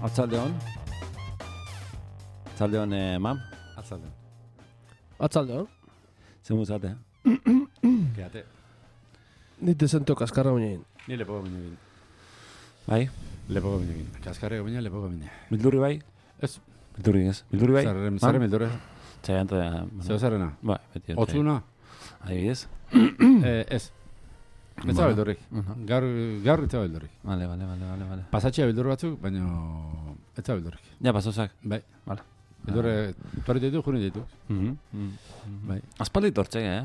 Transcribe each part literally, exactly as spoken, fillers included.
Atzaldeon. Atzaldeon, eh, mam. Atzaldeon. Atzaldeon. Zemu zate. Quédate. Ni desento kaskarra baina. Ni lepoko bine bin. Bai? Lepoko bine bin. Kaskarreko bine, lepoko bine. Bildurri bai? Ez. Bildurri ez. Bildurri bai? Zarren, zarren bildurre. Txaianta. Zeo zarrena? Bai, beti. Otzuna? Adibidez? eh, ez. Ez da bildurrik. Gaur, gaur ez da bildurrik. Vale, vale, vale, vale, vale. Pasatxea bildurri batzuk, baina ez da bildurrik. Ja, pasozak. Bai. Vale. Bildurre, tuarri ditu, juri ditu. Mhm. Mhm. Bai. Aspaldi tortzek, eh?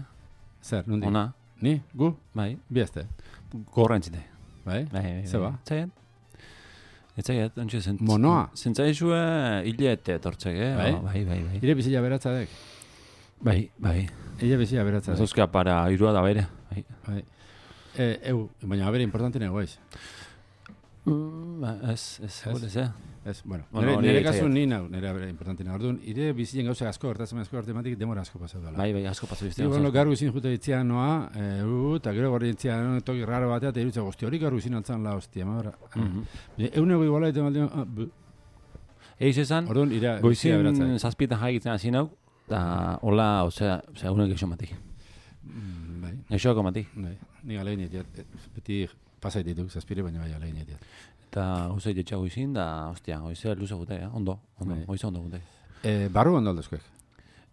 Zer, nundi? Ona. Ni? Gu? Bai. Biazte. Gorra entzite. Bai? Bai, bai. Ze ba? Txaiat. Etzaiat, ontsi zent. Monoa? Zentzaizue hilete tortzek, eh? Bai? Oh, bai, bai, bai. Ire bizila beratzadek. Bai, bai. Ire bizila beratzadek. Ezozka para irua da bere. Bai. Bai. Eh, eu, baina abere importante negoiz. Mm, ba, ez, ez, Ez? ez, ez. Ez, bueno, Bueno, nire, nire nire kasu itzaiat. ni nau, nire abere importante nago. Orduan, ire bizilen gauza asko, gertatzen asko gertematik, demora asko pasau dela. Bai, bai, asko pasu Ni iztean. bueno, gaur izin jute ditzian noa, eh, u, eta gero gorri ditzian toki raro batea, eta irutza guzti hori gaur izin altzan la hostia, ma bera. Eunego iguala eta maldean, ah, bu. Eiz esan, Orduan, ira, bizia goizien beratzak. zazpietan jaigitzen hasi nau, eta hola, osea, osea, unek eixo mati. Mm, Bai, Eixoako mati. bai, ni alegin etiat, beti pasait dituk, zazpire, baina bai alegin etiat. Eta goizei jetxa goizin, da, ostia, goizea luze gute, eh? Ondo, ondo, Bai. goize ondo gute. Eh, barru ondo aldozkoek.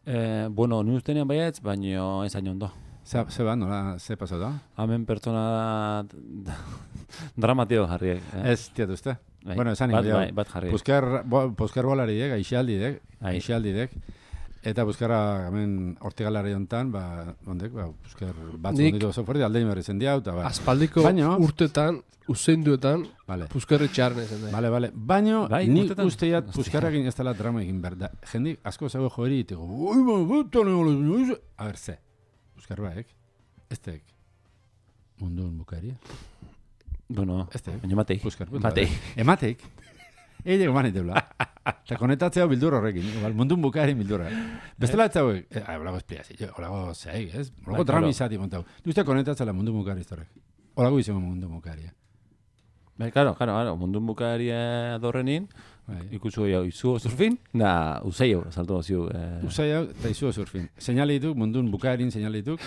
Eh, bueno, ni ustenean baietz, baino ez hain ondo. Ze, ze ba, nola, ze pasau da? Hemen pertsona dramatio jarriek. Eh? Ez, tiat uste? Bai. Bueno, esan bat, ingo, bai, bat jarriek. Pusker, bo, pusker bolari dek, aixaldi dek, Bai. aixaldi dek. Eta buskarra hemen hortigalari hontan, ba, ondek, ba, buskar batzu Nik- onditu oso fuerte, aldein berri zendiau, eta ba. Aspaldiko Baino- urtetan, useinduetan, Vale, puskarri txarren ezen da. vale, vale. Baino, Bai, nik urtetan. usteiat Hostia. puskarrakin ez dela drama egin behar. Da, jendik asko zago joeri, iteko, oi, ba, buta, ne, a ber, ze, buskar baek, ez tek, mundun bukaria, Bueno, ez tek, baina matei. buskar, Matei. emateik, eile goman itebla. Eta konetatzea bildur horrekin, igual, mundun bukaerin bildurra. Bestela ez zauek, eh, olago espliazio, olago zeik, ez? Olago Bai, drama claro. izati montau. Duzte konetatzela mundun bukari iztorrek. Olago izango mundun bukaria. Bai, claro, claro, claro, mundun bukaria dorrenin, Bai. ikusu jau, izu surfin, da, useio, salto ziu. Eh, Usai hau, eta izu surfin. Seinale dituk, mundun bukaerin seinale dituk.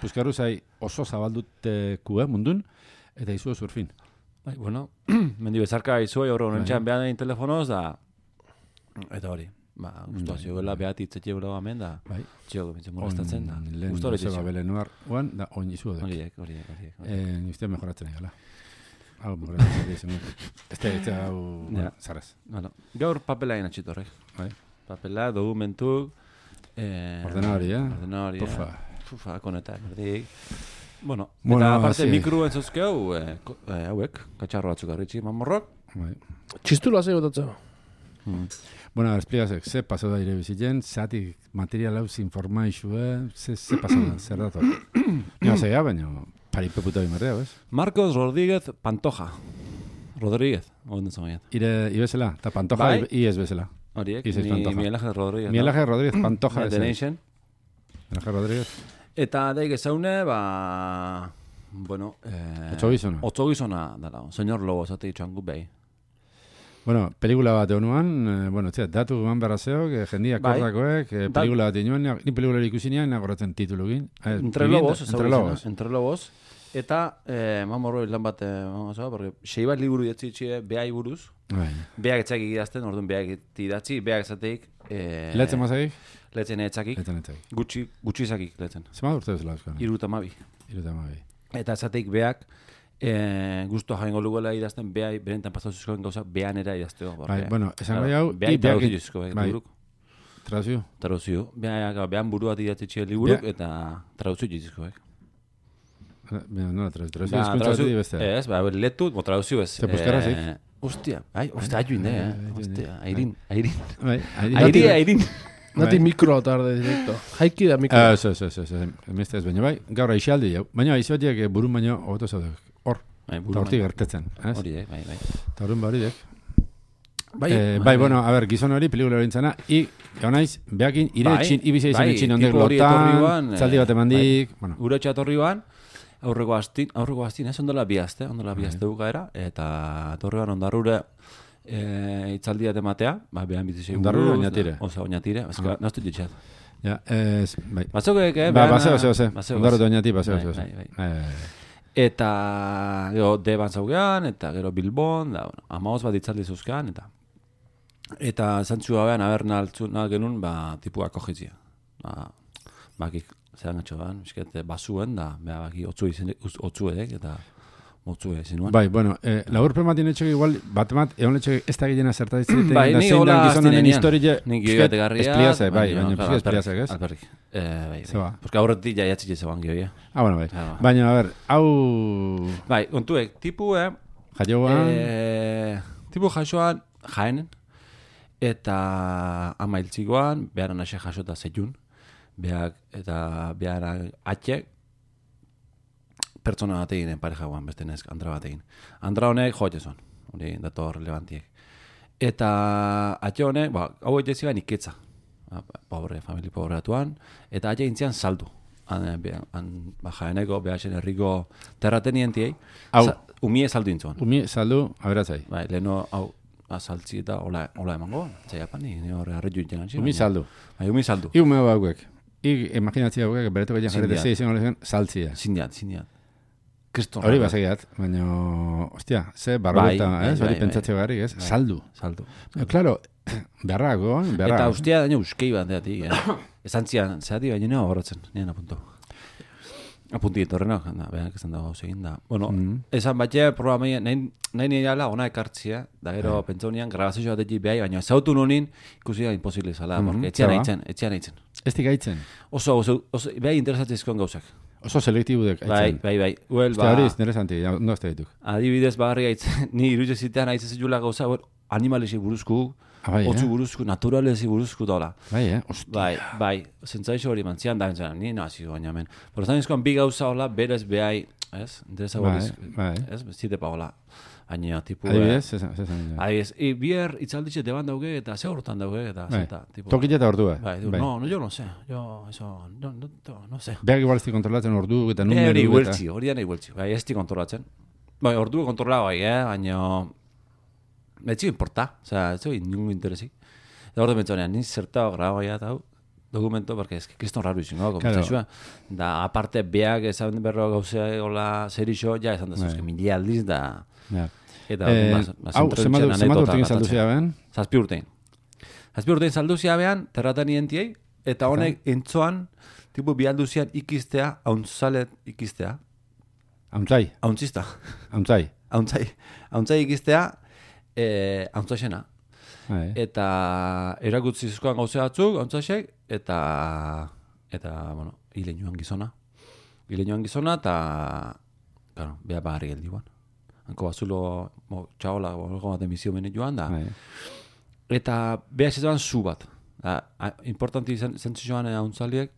Puskarru zai oso zabalduteko, eh, mundun, eta izu surfin. bai, bueno, mendi bezarka izuei horro Bai. nintxan behar egin telefonoz, da, eta hori, ba, guztua zioela behar itzetxe gula hemen, da, Bai. txio, bintzen molestatzen, da, Lehen guztua hori Joseba txio. Belenuar, oan, da, oin izu duk. Horiek, horiek, horiek. horiek. Eh, Nizte mejoratzen egala. Hau, mejoratzen egala. Este, este, hau, Ja. zaraz. Bueno, gaur papela egin atxitorrek. Bai. Papela, dokumentuk, eh, Ordenadori, eh? Ordenadori, Pufa. eh? Pufa, koneta, berdik. Bueno, Bueno, eta aparte sí. mikro entzozkeu, eh, ko- eh, hauek, katxarro batzuk arritxi, mamorrok. Bai. Txistula zei botatzen. Hmm. Bueno, a ver, explícase, ze pasau da ire bizitzen, zati material hau zinformaixue, ze, ze pasau da, zer dator. Nio zeia, baina paripe puta bimarrea, bez? Marcos Rodríguez Pantoja. Rodríguez, onden zomaiat. Ire, ibezela, eta Pantoja, Bai. i ez bezela. Horiek, Isis ni Pantoja. Miguel Ángel Rodríguez. Miguel Ángel Rodríguez Pantoja, no? ez. The Miguel Nation. Ángel Rodríguez. Eta daik ezaune, ba... Bueno, eh... Otso gizona. Otso gizona, dala. Señor Lobo, zate itxuan gu behi. Bueno, pelikula bat egunuan, eh, bueno, txea, datu eman berra zeok, eh, jendia Bai. kordakoek, eh, Da- pelikula bat inoen, ni pelikula ikusi nian, nagoratzen titulugin. Eh, Entre vivienda- Lobos, Entre ezagutzen, Lobos. eh? Entre Lobos. Eta, eh, mamorro lan bat, eh, vamos a porque sei bat liburu idatzi itxie, behai buruz. Bai. Beak etzak idazten, orduan beak idatzi, beak ezateik. Eh, Letzen mazagik? Letzen etzakik. Letzen etzakik. Gutxi, gutxi izakik letzen. Zema urte bezala euskara? Iruta mabi. Iruta mabi. Eta ezateik beak, eh, guztua jaingo lugela idazten, beai, berentan pasatuzkoen gauza, bean era idazteo. Bai, bueno, esan gai hau, beai i beak- traduzizko, bai, bai. liburuk. Traduzio? Traduzio. Bean, bean buru bat idatzi txie liburuk, Bea- eta traduzio jizizko, bai. Mira, no, traduzio. Traduzio Ba, eskuntza traduzio- beti beste. Ez, ba, letu, bo traduzio ez. Ze puskarazik? Eh, Ostia, ai, ostia, aiu inde, eh. Bai, Ostia, airin, airin. Bai, airi- Airi, airin. Nati Bai. mikroa tarde directo. Jaiki da mikro. Ez, ez, ez, ez, ez, emeste ez, baina bai, gaur aixaldi jau. Baina aizotiek burun baino, hobeto zaudek. Hor, Bai, eta buru hortik bai. gertetzen. Ez? Hori, eh, bai, bai. Eta horren baridek. Bai, Eh, bai, bueno, a ver, gizon hori, pelikula hori intzana, i, egonaiz, behakin, ire Bai, etxin, ibizia izan bai, etxin ondek tipo hori etorri lotan, ban, eh, zaldi bat emandik, bueno. Gure txatorri ban, aurreko astin, aurreko astin, ez ondola bi aste, ondola bi Bai. aste bukaera, eta etorri ban ondarrure eh, itzaldia tematea, ba, behan bizitzei buruz. Ondarrura oinatire. Osa, oinatire, ezka, naztu ditxat. Ja, ez, bai. Batzokeek, eh? Ba, behana- baseo, zeo, ze. baseo, Ondarro baseo. oinati, baseo, Bai, zeo, ze. bai, bai. Bai, bai, bai. Eta, gero, Deban zaugean, eta gero Bilbon, da, bueno, amaoz bat itzaldi zuzkean, eta eta zantzu gabean, aber naltzu, nal genuen, ba, tipua kojitzia. Ba, bakik, zelan gatxo ban, misket, basuen, da, beha, baki, otzu izen, otzu edek, eta motzu ezin nuen. Bai, bueno, eh, laburpen bat inetxok igual, bat emat, egon letxok ez da gilena zertatzen. Bai, ni hola gizonen historia, Nik joate garria. espliazai, bai, baina pixka espliazak, ez? Alperrik. Eh, bai, Zeba. bai. Porque aurretik ja jatzik zegoan gioia. Ah, bueno, bai. Ah, Baina, a ber, hau Bai, kontuek, tipu, eh, jaioan, Eh, tipu jasoan jaenen, eta ama hiltzikoan, beharan ase jasota zeiun, behak, eta beharan atxek, pertsona bat eginen pareja guan, beste nezk, Andra bat egin. Andra honek jote zon, hori dato relevantiek. Eta atxe honek, ba, hau egin zigan iketza, ba, pobre, famili pobreatuan, eta atxe intzian saldu. Han, behan, han, ba, jaeneko, behasen herriko terratenientiei, Hau. sa- umie saldu intzuan. umi saldu, aberatzai. Bai, leheno hau azaltzi eta hola, hola emango, txaiapani, ni horre harri juiten gantzi. Umi saldu. Bai, umi saldu. Iu meo hauek. I imaginatzia hauek, beretoko jen jarrete Zindiat. zei izan horrezen, saltzia. Zindiat, zindiat. Kriston. Hori basegiat, baina, ostia, ze barrueta, Bai, ez? bai, Hori bai, pentsatzeo garrik, ez? Bai. Saldu. Saldu. Eh, Claro, beharrako, eh? beharra. Eta ustia daño euskei bat deatik, eh? Esan zian, zehati baina nio horretzen, nien apunto. Apunti etorrenak, da, behanak esan dago egin da. Bueno, Mm. esan batxe, programei, nahi, nahi nire ala ona ekartzia, da gero pentsa honian, grabazio bat egin behai, baina zautu nonin, ikusi da imposible zala, Mhm, porque etxean zaba. aitzen, etxean aitzen. Ez gaitzen. Oso, oso, oso, behai interesatzezkoen gauzak. Oso selektibudek Bai, aitzen. bai, bai. Uel, Ostia, ba, hori interesanti, ja, no ez da dituk. adibidez bagarri gaitzen, ni iruditze zitean aitzen zitula gauza, bueno, animalesi buruzku, Ah, bai, otzu eh? buruzku, naturalesi buruzku dola. Bai, eh? Ostia. Bai, bai, zentzaixo hori mantzian da, entzaren, ni nazi baina hemen. Por zanizkoan bi gauza hola, berez behai, ez? Interesa Bai, horiz, bai. ez? Zite pa hola. Baina, tipu... Adibidez, zesan, zesan. eh, Adibidez, i, bier itzalditxe deban dauge, eta ze horretan dauge, eta Bai. zeta, tipo... Tokila eta ordua. Bai, digo, no, no, yo no sé, yo, eso, no, no, no, no sé. Beak igual ez di kontrolatzen ordu eta Eh, numeru. hori eta- hueltzi, hori da nahi hueltzi. Bai, ez di kontrolatzen. Bai, ordu kontrola bai, eh? Baina... Ez zio importa, osea, ez zio inungo interesik. Eta hor de mentzonean, ni zertao grabaia eta hau, dokumento, porque es que kriston raro izan, no? Claro. Da, aparte, beak esan berro gauzea, hola, zer iso, ja, esan da, Bai. zuzke, mili aldiz, da... Ja. Eta, Eh, bas, bas, hau, introducen zenbat zenbat anekdota urtekin saldu gertatzen. behan? Zazpi urtein. Zazpi urtein saldu behan, terratan ientiei, eta honek entzoan, tipo, bialduzian ikistea, haunzalet ikistea, Hauntzai, hauntzista. hauntzai. Hauntzai, hauntzai ikistea, eh, hauntzasena. Bai. Eta erakutzi zizkoan gauze batzuk, hauntzasek, eta, eta, bueno, hile joan gizona. Hile joan gizona, eta, claro, beha bagarri geldi guan. Hanko bazulo, mo, txaola, olgo bat emizio bene joan, da. Bai. Eta beha zezoan zu bat. Da, a- importanti zen, zentzioan hauntzaliek,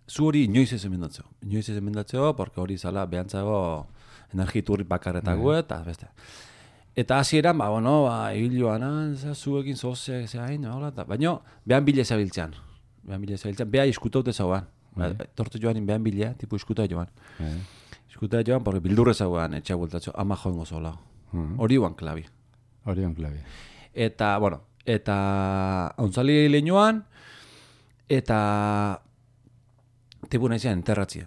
zu hori inoiz ez emendatzeo. Inoiz ez emendatzeo, porque hori zala behantzago energiturri bakarretago eta beste. Eta hasieran, ba, bueno, ba, ibiloan, zuekin zoze, zehain, hola, eta, baina, behan bile zabiltzean. Behan bile zabiltzean, beha iskutaute zauan. Ba, tortu joan, behan bile, tipu iskuta joan. Bai. Iskuta joan, porque bildurre zauan, etxea bultatzeo, ama joango zola. Mhm. Hori guan klabi. Hori on klabi. Eta, bueno, eta hauntzali lehenoan, eta tipu nahi zian enterratzia.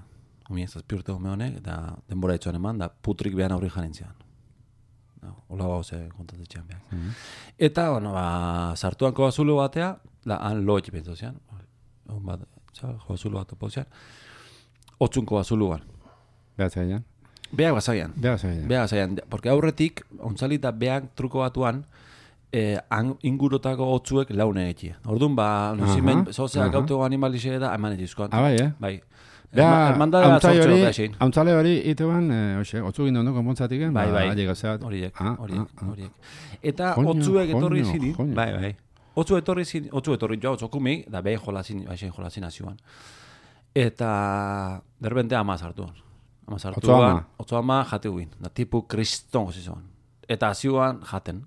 Omi ez zazpi urte gome honek, eta denbora etxoan eman, da putrik behan aurri janentzian. Ola hau ze kontatetxean behar. Eta, bueno, ba, sartuan koazulo batea, da, han lo etxe pentsa zian, hon bat, txal, koazulo bat topo zian, otzun koazuluan. Behatzaian. Beak bazaian. Behatzaian. Beha zaian, porque aurretik, ontzali eta beak truko batuan, eh, han ingurotako otzuek laune egia. Orduan, ba, nuzimen, Aha, zozeak aha. autogo animalixe da, eman egizkoan. Ah, bai, eh? Bai. Beha, Hermandadea hauntzai zortxo hori, da xein. hauntzale hori, iteban, eh, oxe, otzu gindu ondo konpontzatik, Bai, bai. Horiek, Horiek, Ah, horiek, ah, ah. horiek. Eta Joño, otzuek etorri joño, zinin, joño. bai, bai. Otzu etorri zinin, otzu etorri joa, otzokumi, da behin jolazin, baixen jolazin azioan. Eta, derbente ama sartuan. Ama Otzo sartuan, ama. otzo ama jate guin. Da tipu kriston gozizuan. Eta azioan jaten.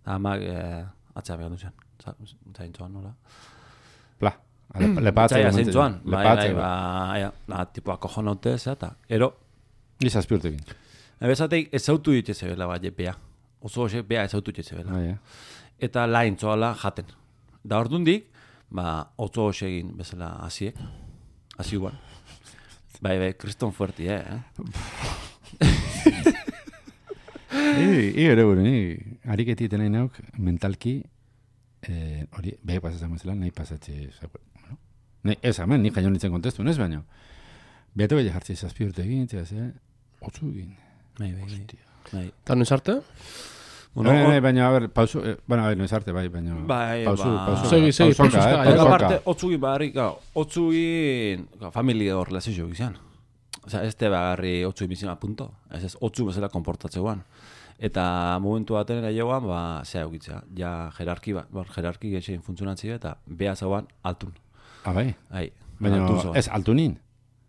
Da amak eh, atzea behar duzen. Zaintzuan, nola? Pla. Lepatzea. Zaila zeintzuan. Bai, bai, ba, ja, da, tipu akojonaute, zeta. Ero, Gizazpi urtekin. ebezateik ez autu ditze bela bat jepea. oso hoxe beha ezautu jetxe bela. Bai, Eta lain zoala jaten. Da ordundik, ba, oso hoxe egin bezala hasiek. Hasi guan. Bai, bai, kriston fuerti, eh? I ere gure, ni ariketi nahi nauk mentalki hori, behi pasatzen mazela, nahi pasatze, bueno, ez hemen, ni jaion nintzen kontestu, ez baino. Behateko ja jartzi zazpi urte egin, txas, eh? Otzu egin. Bai, bai, bai. Eta noiz arte? Bueno, bai, bai, baina, a ver, pausu, eh, bueno, a ver, noiz arte, bai, baina, bai, pausu, ba... pausu, Segi, segi, pausoka, pausoka, eh, eh, Eta pausoka. parte, otzugin barri, gau, otzugin, gau, familia hor lezizio gizan. Osea, ez te bagarri otzugin bizima punto. Ez ez, otzu bezala konportatzeuan. Eta momentu baten ere joan, ba, zea egitzea. Ja, jerarki bat, ba, jerarki geixen funtzionatzea eta beha zauan altun. Ah, bai? Hai, Baina, altun zauan. ez, altunin?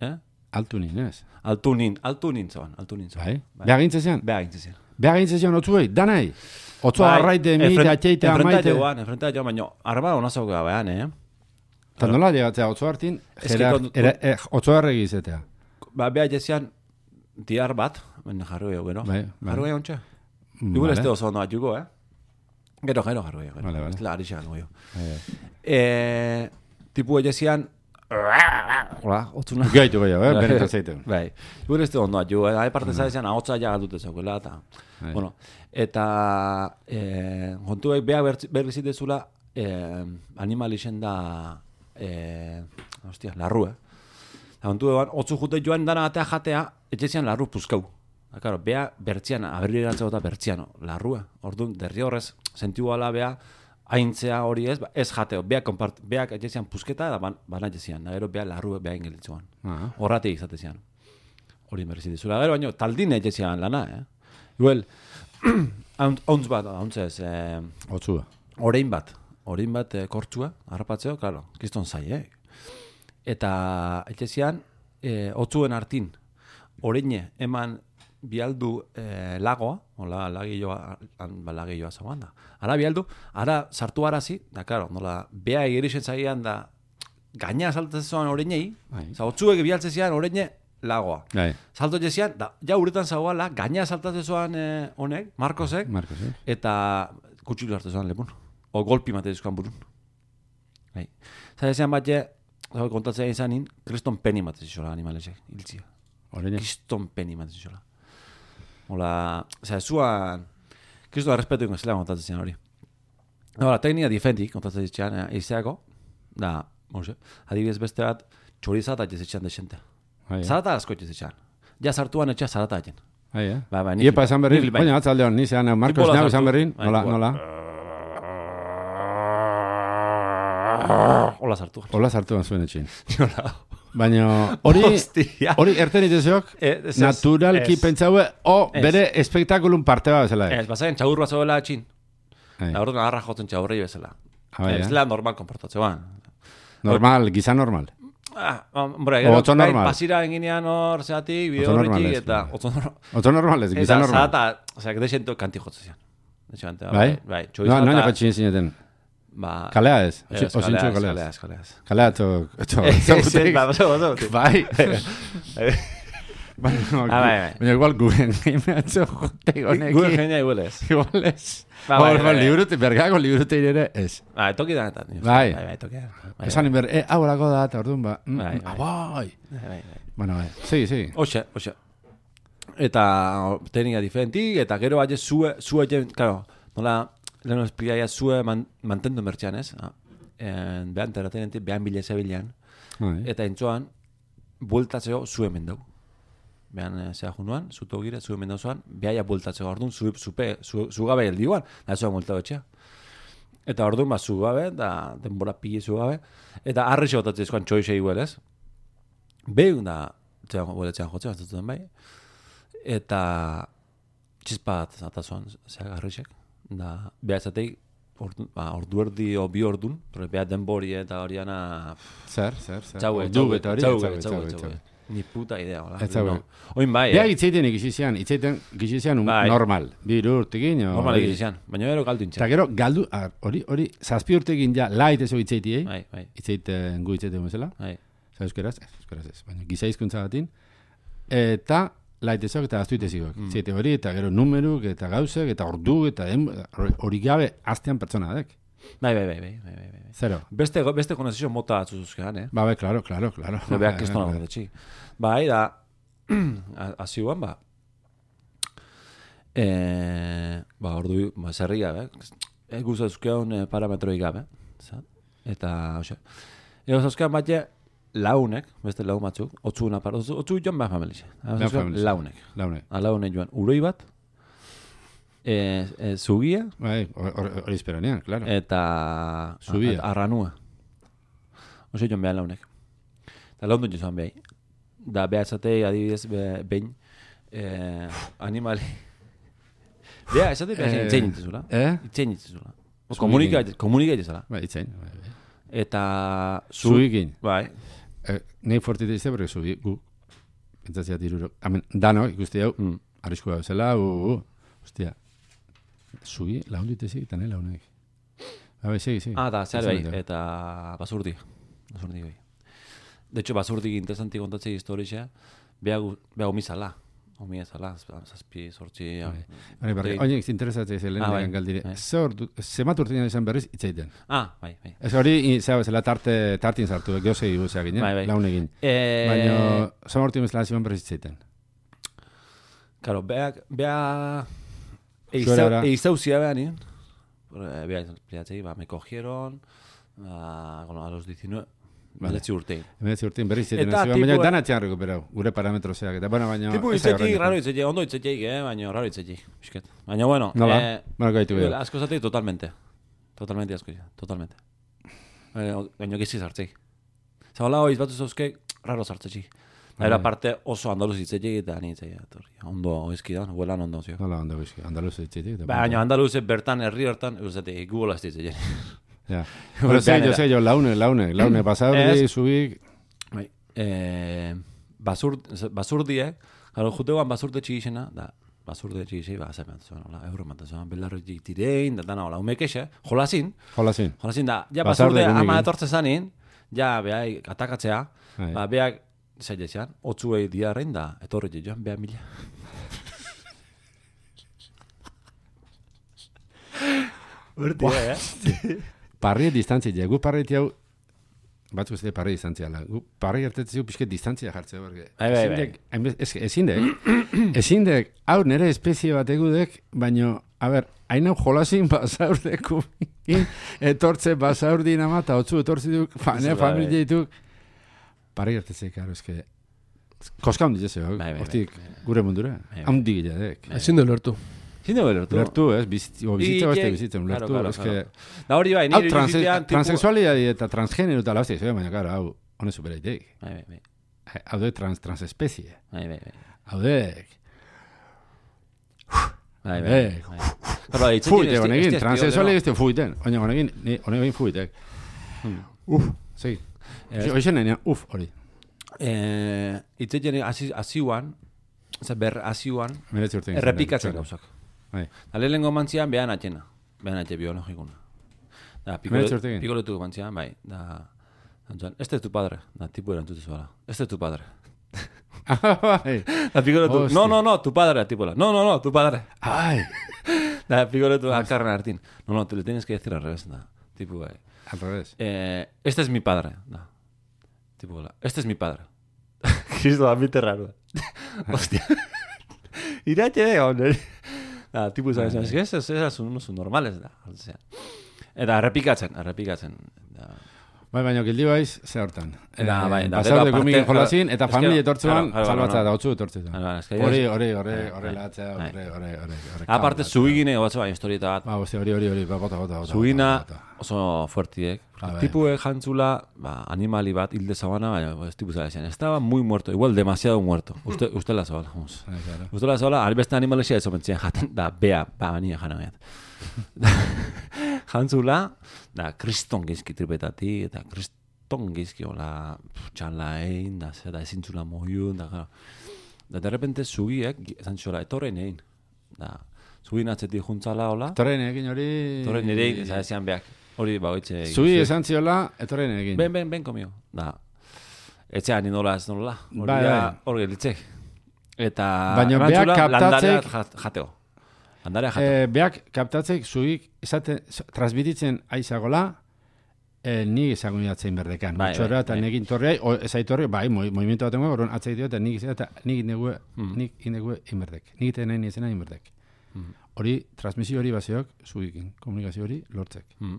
Eh? Altunin, ez? Altunin, altunin zauan, altunin zauan. Bai? Beha gintze zean? Beha gintze zean. Beha gintze zean otzuei, danai? Otzoa arraite, mite, atxeite, amaite? Enfrentate joan, enfrentate joan, baina arba hona zauke gabean, eh? Eta nola llegatzea, otzoa hartin, otzoa erregi izetea. Ba, beha jezian, diar bat, baina jarroi gero. Bai, bai. Jarroi ontsa. Mm, Igual vale. este oso ondo atxuko, eh? Gero, gero, jarroi, gero. Vale, vale. Ez la arixak goio. Bai, bai. Eh, tipu ejezian, hola, otzuna. Gaitu gehiago, eh? Benetan zeiten. Bai, igual este ondo atxuko, eh? Hai parte zaizan, ahotza ja galdute zaukela, eta... Bai. Bueno, eta eh, kontuek beha berri zitezula eh, animalixen da eh, hostia, larru, eh? Kontu eban, otzu jute joan dana atea jatea, etxezian larru puzkau. Da, claro, beha bertzian, aberri eratzeko eta bertzian, larrua. Orduan, derri horrez, sentiu ala beha, haintzea hori ez, ba, ez jateo. Beha, kompart, beak etxezian puzketa eta ban, bana etxezian. Da, gero beha larru beha ingelitzuan. Ah. Horratik izatezian. Hori berri zitezula. Gero, baino, taldin etxezian lana, eh? Igual, hauntz bat, hauntz ez, eh, Otzua. orein bat, orein bat eh, kortzua, harrapatzeo, claro, kriston zai, eh? Eta etxezian, eh, otzuen hartin, oreine eman bialdu eh, lagoa, hola, lagilloa, ba, lagilloa zauan da. Ara bialdu, ara sartu arazi, da, claro, nola, bea egerixen zaian da, gaina saltatzen zoan oreinei, Bai. oza, otzuek bialtzen zian oreine lagoa. Bai. Salto jezian, da, ja uretan zauala, gaina saltatzen zoan eh, honek, Marcosek, Marcos, eh? eta kutxilu hartu zoan lepun. O golpi mate dizkoan burun. Bai. Zara ezean bat je, kontatzea izanin, kriston peni mate zizola animalesek, hiltzia. Oreine. Kriston peni mate zizola. Hola, zara, zuan, kriston respetu ingo zela kontatzen zian hori. Hola, teknika difentik kontatzen zian, eh, eizeako, da, mose, adibidez beste bat, txorizata jezitxan desente. Bai, eh? Zarata asko jezitxan. Ja sartuan etxea zarata egin. Bai, eh? Ba, ba, ni Iepa esan berrin, ni- bai. baina atzaldean, ni zean, Marcos, Tipo nago la esan sartu. berrin, Bai, nola, igual. nola? Hola sartu. Hola sartuan zuen etxin. Hola. Baina hori, Hostia. hori erten itezeok, Eh, ez, ez, naturalki ez. pentsaue, o Ez. bere espektakulun parte bat bezala. Ez, bazain txaur bat zoela atxin. Bai. Da orduan agarra jotzen txaurrei bezala. Ah, bai, Ez eh? la normal konportatzean. Normal, giza normal. Ah, hombre, gero, Otzo bai, normal. pasira eginean hor, zeatik, bide Otzo horretik, normal ez, eta bai. otzo normal. Otro normal ez, giza Eta normal. zarata, osea, desento kanti jotzen zian. Desente, Bai? Bai, No, txorizata. no nako txin zineten. Ba... Kalea ez? Ez, Osintxo kaleaz, kalea kaleaz, ez? kaleaz. Kalea eto... eto- Ez, ezagutek. ba, baso, baso. Bai. Bai, Baina, Ah, bai, bai. baina igual gugen gaimeatzo jote honekin. Gure genia igual ez. Igual ez. Ba, bai, Hor, bai, ba, bai. liburute, bergako liburute ere ez. Bai, toki danetan. Bai. Bai, bai, toki da. Bai, Esan inber, eh, hau erako da, eta orduan ba. mm, Bai, mm, bai. ah, bai. bai, bai, bai. Bueno, bai. Segi, segi. Oxe, oxe. Eta teknika diferentik, eta gero baina zue, zue, jen, claro, nola, lehenu esplikaia zue man, mantendu mertxan, ez? Ah, en, behan terratenentik, behan bile zebilean, Bai. eta entzoan, bueltatzeo zue mendau. Behan eh, zea junuan, zuto gire, zue mendau zoan, behaia bueltatzeo, orduan, zu, zupe, zu, zugabe eldiguan, da zoan bueltau etxea. Eta orduan, ba, zugabe, da denbora pili zugabe, eta arri xotatzea ezkoan txoixe igual, ez? Behin da, txean, hueletzean jotzea, batzuten bai, eta txispa bat atazuan, zea garrixek, da, beha ezateik, ordu, ba, ordu erdi o bi ordun, pero beha denbori eta horiana, Zer, zer, zer. txaue, Ordu txaue, eta hori, txaue, txaue, txaue, txaue, txaue. Ni puta idea, hola. Ez txaue. Oin bai, Beha eh? itzeiten ikisizian, itzeiten ikisizian un Bai. normal. Bir urtekin, o... Normal egizan, baina gero galdu Eta intxan. gero, galdu, ar, hori, hori, zazpi urtekin ja, lait ezo itzeitiei, Bai, bai, itzeiten gu itzeiten bezala, bai. za euskeraz, ez, euskeraz ez, baina giza hizkuntza batin, eta laitezok eta aztuitezikok. Mm. Ziete hori, eta gero numeruk, eta gauzek, eta ordu, eta hori gabe aztean pertsona dek. Bai, bai, bai, bai, bai, bai. Zero. Beste, beste konezio mota atzuzuzkean, eh? Ba, bai, klaro, klaro, klaro. Beak kriston hau detxi. Bai, da, azioan, ba, e, ba, ordu, ba, zerri gabe, e, guztazuzkean e, parametroi gabe, zat? Eta, hoxe, ego zauzkean bat launek, beste laun batzuk, otzuna par, otzu joan ba familia. Launek. Launek. A launek joan, uroi bat, e, e, zugia, bai, hori esperanean, claro. Eta Zubia. Arranua. Oso joan behar launek. Eta laun dut joan behar. Da behatzatei adibidez be, behin eh, animali. Beha, esate behar Eh, itzein itzizula. eh? Itzein itzizula. Komunika itzizula. Bai, itzain. Bai, bai. Eta Zubikin. Bai. Eh, nei fortite izte, porque zubi, gu, pentsatzea tiruro. Amen, dano, ikusti hau, Mm. arriskua bezala, u, u, hostia. Zubi, laun ditezi, eta nahi launek. Bai, segi, segi. Ah, da, zehar bai. Esan dut. Eta basurdi. Basurdi bai. De hecho, basurdi interesanti kontatzei historia, beha omizala. Omizala, zazpi, sortzi. Bai, bai, oinek, interesatzea izan Ah, bai. lehen galdire. Bai. Zer, zemat urtean izan berriz, itzaiten. Ah, bai, bai. Ez hori, zera bezala tarte, tartin sartu, geozei guzeak ginen, Bai, bai. launegin. Eh, Baina, zama urtean bezala ziman berriz itzaiten. Claro, beha... beha Zuera. Eizauzia beha nien. Beha explicatzei, ba, me cogieron ba, bueno, a los diecinueve... Vale. Beletzi urtein. Hemeretzi urtean berriz itzaiten. Eta Baina tipo- dana txan rekuperau, gure parametrozeak. Eta, bueno, baina... Tipo ez da itzetik, horrekin. raro itzetik, ondo itzetik, eh? Baina raro itzetik. Bisket. Baina, bueno... Nola? Eh, Nola gaitu behar. asko zatek, totalmente. Totalmente asko, totalmente. Baina, baina gizi zartzeik. Zagola hoiz batu zauzke, raro zartzetxik. Era parte oso andaluz itzetik eta ni itzetik. Ondo ezkidan, huelan ondo zio. Nola, ondo bizki, andaluz itzetik. Baina andaluz bertan, herri hortan, eusetik, gugola ez ditzetik. Ja. Hora zei, jo zei, jo, laune, laune, laune, pasaurdi, zubik... Bai, eh, basur, basurdiek, gero jutegoan basurte txigixena, da, basurte txigixei, ba, zer bat zuen, hola, euro bat zuen, belarretik tirein, da, dana, hola, umekexe, jolazin, Jolazin. jolazin da, ja Basurde basurde gunekin. ama etortze zanin, ja, behai, atakatzea, Bai. ba, beak, zailezean, otzuei diarrein da, etorri joan, beha mila. Urti, eh? Parri distantzia, gu parri hau, batzuk ez dira parri distantzia, la. Gu parri hartetzeu pixket distantzia jartzea, porque... Bai, bai, bai. bai. Ezin dek, ezin dek, hau nere espezie bat egudek, baino, a ber, hain hau jolazin basaurdeku, etortze basaurdin ama, eta otzu etortzi duk, fane, Bai, familia dituk, parri hartetzea, karo, eske... Koska hundi jezeo, Bai, bai, hortik, bai, bai. gure mundura, Bai, bai. haundi gila dek. Ezin du lertu. Zinde belertu. Lertu, ez, bizitza, o bizitza I- beste i- bizitza, claro, lertu, claro, eske... claro. Da hori bai, Hau, nire transe, bizitzean tipo... transexualidade eta transgénero eta la hostia, zebe, baina, karo, hau, hone superaitek. Bai, bai, bai. Hau de trans, transespezie. Bai, bai, bai. Hau de... Bai, bai. Eh, bai. Pero hitzetik fuite, ez- honekin, ez- ez- transexuali ez- ez fuiten. Oina, honekin, ni, honekin fuitek. Hmm. Uf, segi. Ez- Hoixen nenia, uf, hori. Eh, hitzetik hasi hasiuan, oza, ber hasiuan, Meretzi urtein. errepikatzen gauzak. Bai. Da lehenengo mantzian behan atxena. Behan atxe biologikuna. Da, Meretzi urtekin? pikoletu mantzian, bai. Da, antzuan, este es tu padre. Da, tipu erantzute zuela. Este es tu padre. Ah, bai. Da, pikoletu, Hostia. no, no, no, tu padre, tipuela. No, no, no, tu padre. Ai, Da, pikoletu akarren hartin. No, no, te le tienes que decir al revés, da. Tipu, bai. al revés. Eh, este es mi padre. Da. Tipo, este es mi padre. Cristo, a mí te raro. Hostia. Iratxe de gaur. Da, tipo, sabes, es que esos esos son unos normales, da. O sea. Eta errepikatzen, errepikatzen. Da. Bai, baina gildi baiz, ze hortan. Eta, bai, da, Pasaude gero gumikin aparte- jolazin, eta Es que- familia etortzuan, claro, claro, salbatza claro. da, otzu etortzu da. Claro, es que Hori, ellos- hori, hori, Bai, hori bai, latzea, bai. hori, hori, hori. hori, Aparte, kabla, zugine, batzu bai, historieta bat. Ba, hostia, hori, hori, hori, ba, bota, bota, bota. Zugina bota, bota. oso fuertiek. Ah, bai. Tipuek jantzula, ba, animali bat, hilde zabana, baina, ez tipu zara estaba muy muerto, igual demasiado muerto. Uste, uste la zabala, vamos. Bai, claro. Uste la zabala, albeste animalesia ez omentzien jaten, da, bea, ba, bania jana behat. Jantzula, da, kriston gizki tripetati, eta kriston gizki, hola, txala egin, da, zera, ezintzula moiu, da, gara. Da, de repente, zugiek, esan txola, etorren egin. Da, zugin atzetik juntzala, hola, Torren egin hori... etorren nire, ez esan beak. Hori, ba, oitxe. Zui esan ziola, etorren egin. Ben, ben, ben, komio. Da, etxean inola ez nola. Hori Bai, da, bai. hori gelitzek. Eta Baina eman beak zula kaptatzek- landarea jateo. Landarea jateo. Eh, beak kaptatzek zuik esate transmititzen aizagola eh, ni ezagun jatzein berdekan. Bai, Utxora bai, eta bai. nekin torrei, o, ezaitorri, bai, moi- movimiento bat engo, oron atzaitio eta nik eta nik indegue, Mm. nik indegue inberdek. Nik ite nahi nizena inberdek. Mm. Hori, transmisio hori baseok, zuikin, komunikazio hori lortzek. Mm.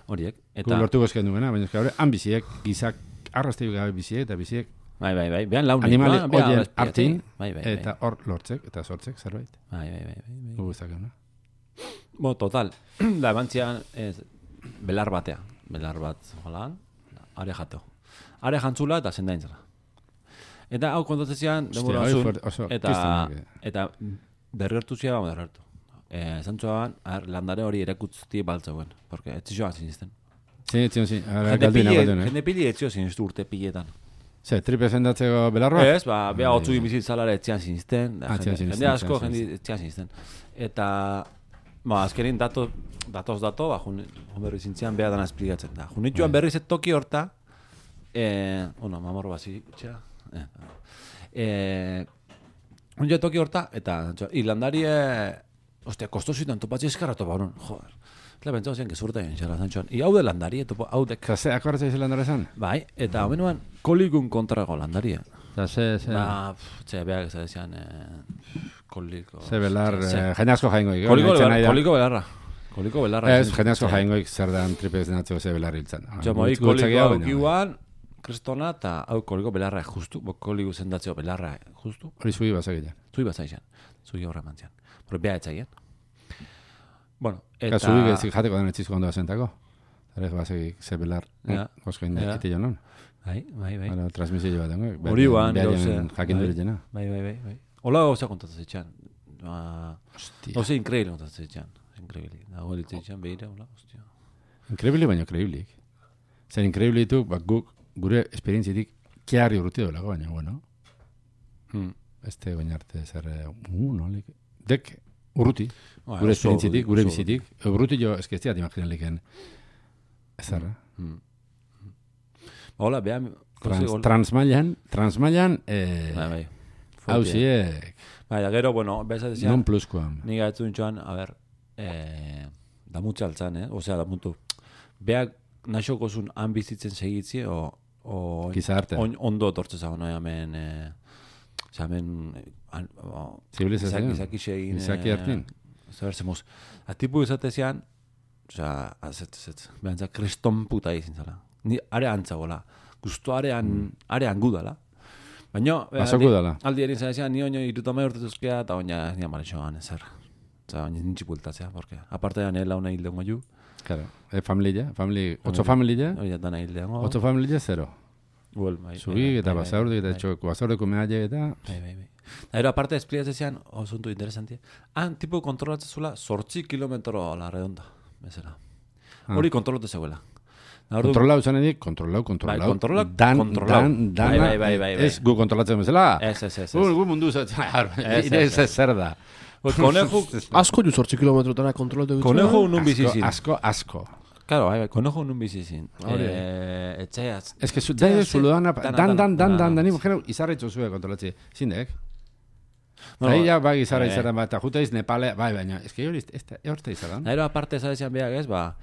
Horiek. Eta... Eta, lortu gozken duena, baina eske han biziek, gizak, arrasteiuk gabe biziek, eta biziek bai, bai, bai. Behan launik. animali ba, beha horien bezpiatik. hartin, Bai, bai, bai. eta hor lortzek, eta sortzek zerbait. Bai, bai, bai, bai, bai. Guguztak euna. Bo, total. Da, ebantzian, ez, belar batea. Belar bat, jolan, are jateo. Are jantzula eta zendaintzela. Eta hau kontatzean, demora hori osun, fuerte, oso eta, kristonak, eta dergertu zia, bamo dergertu. Eh, Zantzuaban, landare hori erakutzi baltzeuen, porque ez zioan zinisten. Zin, zin, zin, Jende galduen, pile, galduen, eh? jende pili ez zio ziniztu urte piletan. Ze, tripe zendatzeko belarroa? Ez, ba, beha Bai, otzu bai. bizitzalare etzian zinisten, da, Ah, etzian jende, zinisten, jende asko, etzian jende etzian zinisten. Eta, ba, azkenin dato, datoz dato, ba, jun, jun berri zintzian beha dana esplikatzen da. Jun nituan Bai. berriz et toki horta, eh, bueno, mamor bazi, txea, eh, eh, jun jo toki horta, eta, irlandari, eh, ostia, kostosuitan topatzi eskarra topa, honon, joder. Eta pentsau zen, gezurta egin xera, zantxoan. I hau de landari, topo, hau de, Eta ze, akordatzea izan landara esan? bai, eta homenuan kolikun kontrago landaria. Eta ze, ze, Ba, pff, txe, beak ez dezian, eh, koliko... ze belar, Ze- eh, jende asko jaingoik. Koliko, Itzen belar, nahi da. koliko belarra. Koliko belarra. Ez, jende asko jaingoik zer dan tripe zendatzeko ze belar hiltzen. Jo, moi, koliko aukiuan, kristona, eta hau koliko belarra justu, bo koliko zendatzeo belarra justu. Hori zui bazakila. Zui bat zaizan, zui horra mantzian. Pero beha etzaien. Bueno, Eta eta... zui gezik jateko den etxizko ondo azentako. Zarek bazakik ze belar, Ja. oskoin Ja. ite jonon. Bai, bai, bai. Hora, transmisio bat dengo. Hori guan, gauze. gauze. Jakin Bai. dure jena. Bai, bai, bai, bai. Ola gauza kontatzen zitxan. Ba, Hostia. gauza increíble kontatzen zitxan. Increíble. Dago elitzen zitxan, behira, hola, hostia. Increíble baina kreiblik. Zer increíble ditu, bak guk gure esperientzitik kiarri urruti dolako, baina, bueno, Hmm. este baina arte zer, eh, uh, nolik, dek urruti, Ba, gure oso esperientzitik, urruti, gure oso bizitik, urruti jo, eski ez diat imaginaliken, ezarra. Hmm. Hola, beha... Trans, transmailan, transmailan, eh, Bai, bai. hausiek, Bai, da gero, bueno, beza non dezian, pluskoan. ni gaitu nintxoan, a ber, eh, da mutxe altzan, eh? Osea, da mutu. Beak naxokozun han bizitzen segitzi, o... o Gizartea. on, ondo tortze zago, no, hemen... Eh, osea, hemen... Eh, an, o, Zibilizazioa. Gizaki segin... Gizaki hartin. Zer zemuz. A tipu izatezian, osea, azet, azet, behantza, kreston puta izin zala. Ni are antzagola. Gusto arean, arean gudala. Baina, Basoko dala. aldi erin zaizan, ni oino irutama urtetuzkea, eta oina ni amarexoan ezer. Oza, oina nintxi bultatzea, porque aparte da nela una hilde ju, Claro, eh, familia, famili, otso familia, hori da dana hilde hongo. otso familia zero. Well, bai, Zubi bai, eta bai, basaurdik eta bai, txoko basaurdeko mehaile eta... Bai, bai, bai. Da, ero, aparte, esplikatzen osuntu interesantia. Han, tipo, kontrolatzen zula, sortzi kilometro a la redonda, bezala. Hori kontrolatu zegoela. Da, ordu- Kontrolau zan edik, kontrolau, kontrolau. Bai, kontrola- dan, kontrolau. Dan, dana, Bai, bai, bai, bai, bai. Ez gu kontrolatzen bezala. Ez, ez, ez, Gu, ez. gu mundu zat, Ez, ire ez, ez zer da. Pues, Konejo, Asko ju sortzi kilometrotara kontrolatu dut. konejo nun Asko, bizizin. asko, asko. Claro, bai, bai, konejo nun bizizin. Hori. Eh, etxeaz. Ez que zu, Etxeaz, da eh, zu dana, dana, dan, dan, dan, dana, dan, dana. dani, jero, izarretxo zue kontrolatzi. Zindek? Bueno, Eta ia, bai, izarra eh. izarra bat, eta juta iz Nepale, bai, baina, ez que hori, ez da, horta izarran. Da, ero, aparte, zadezian beak ez, ba,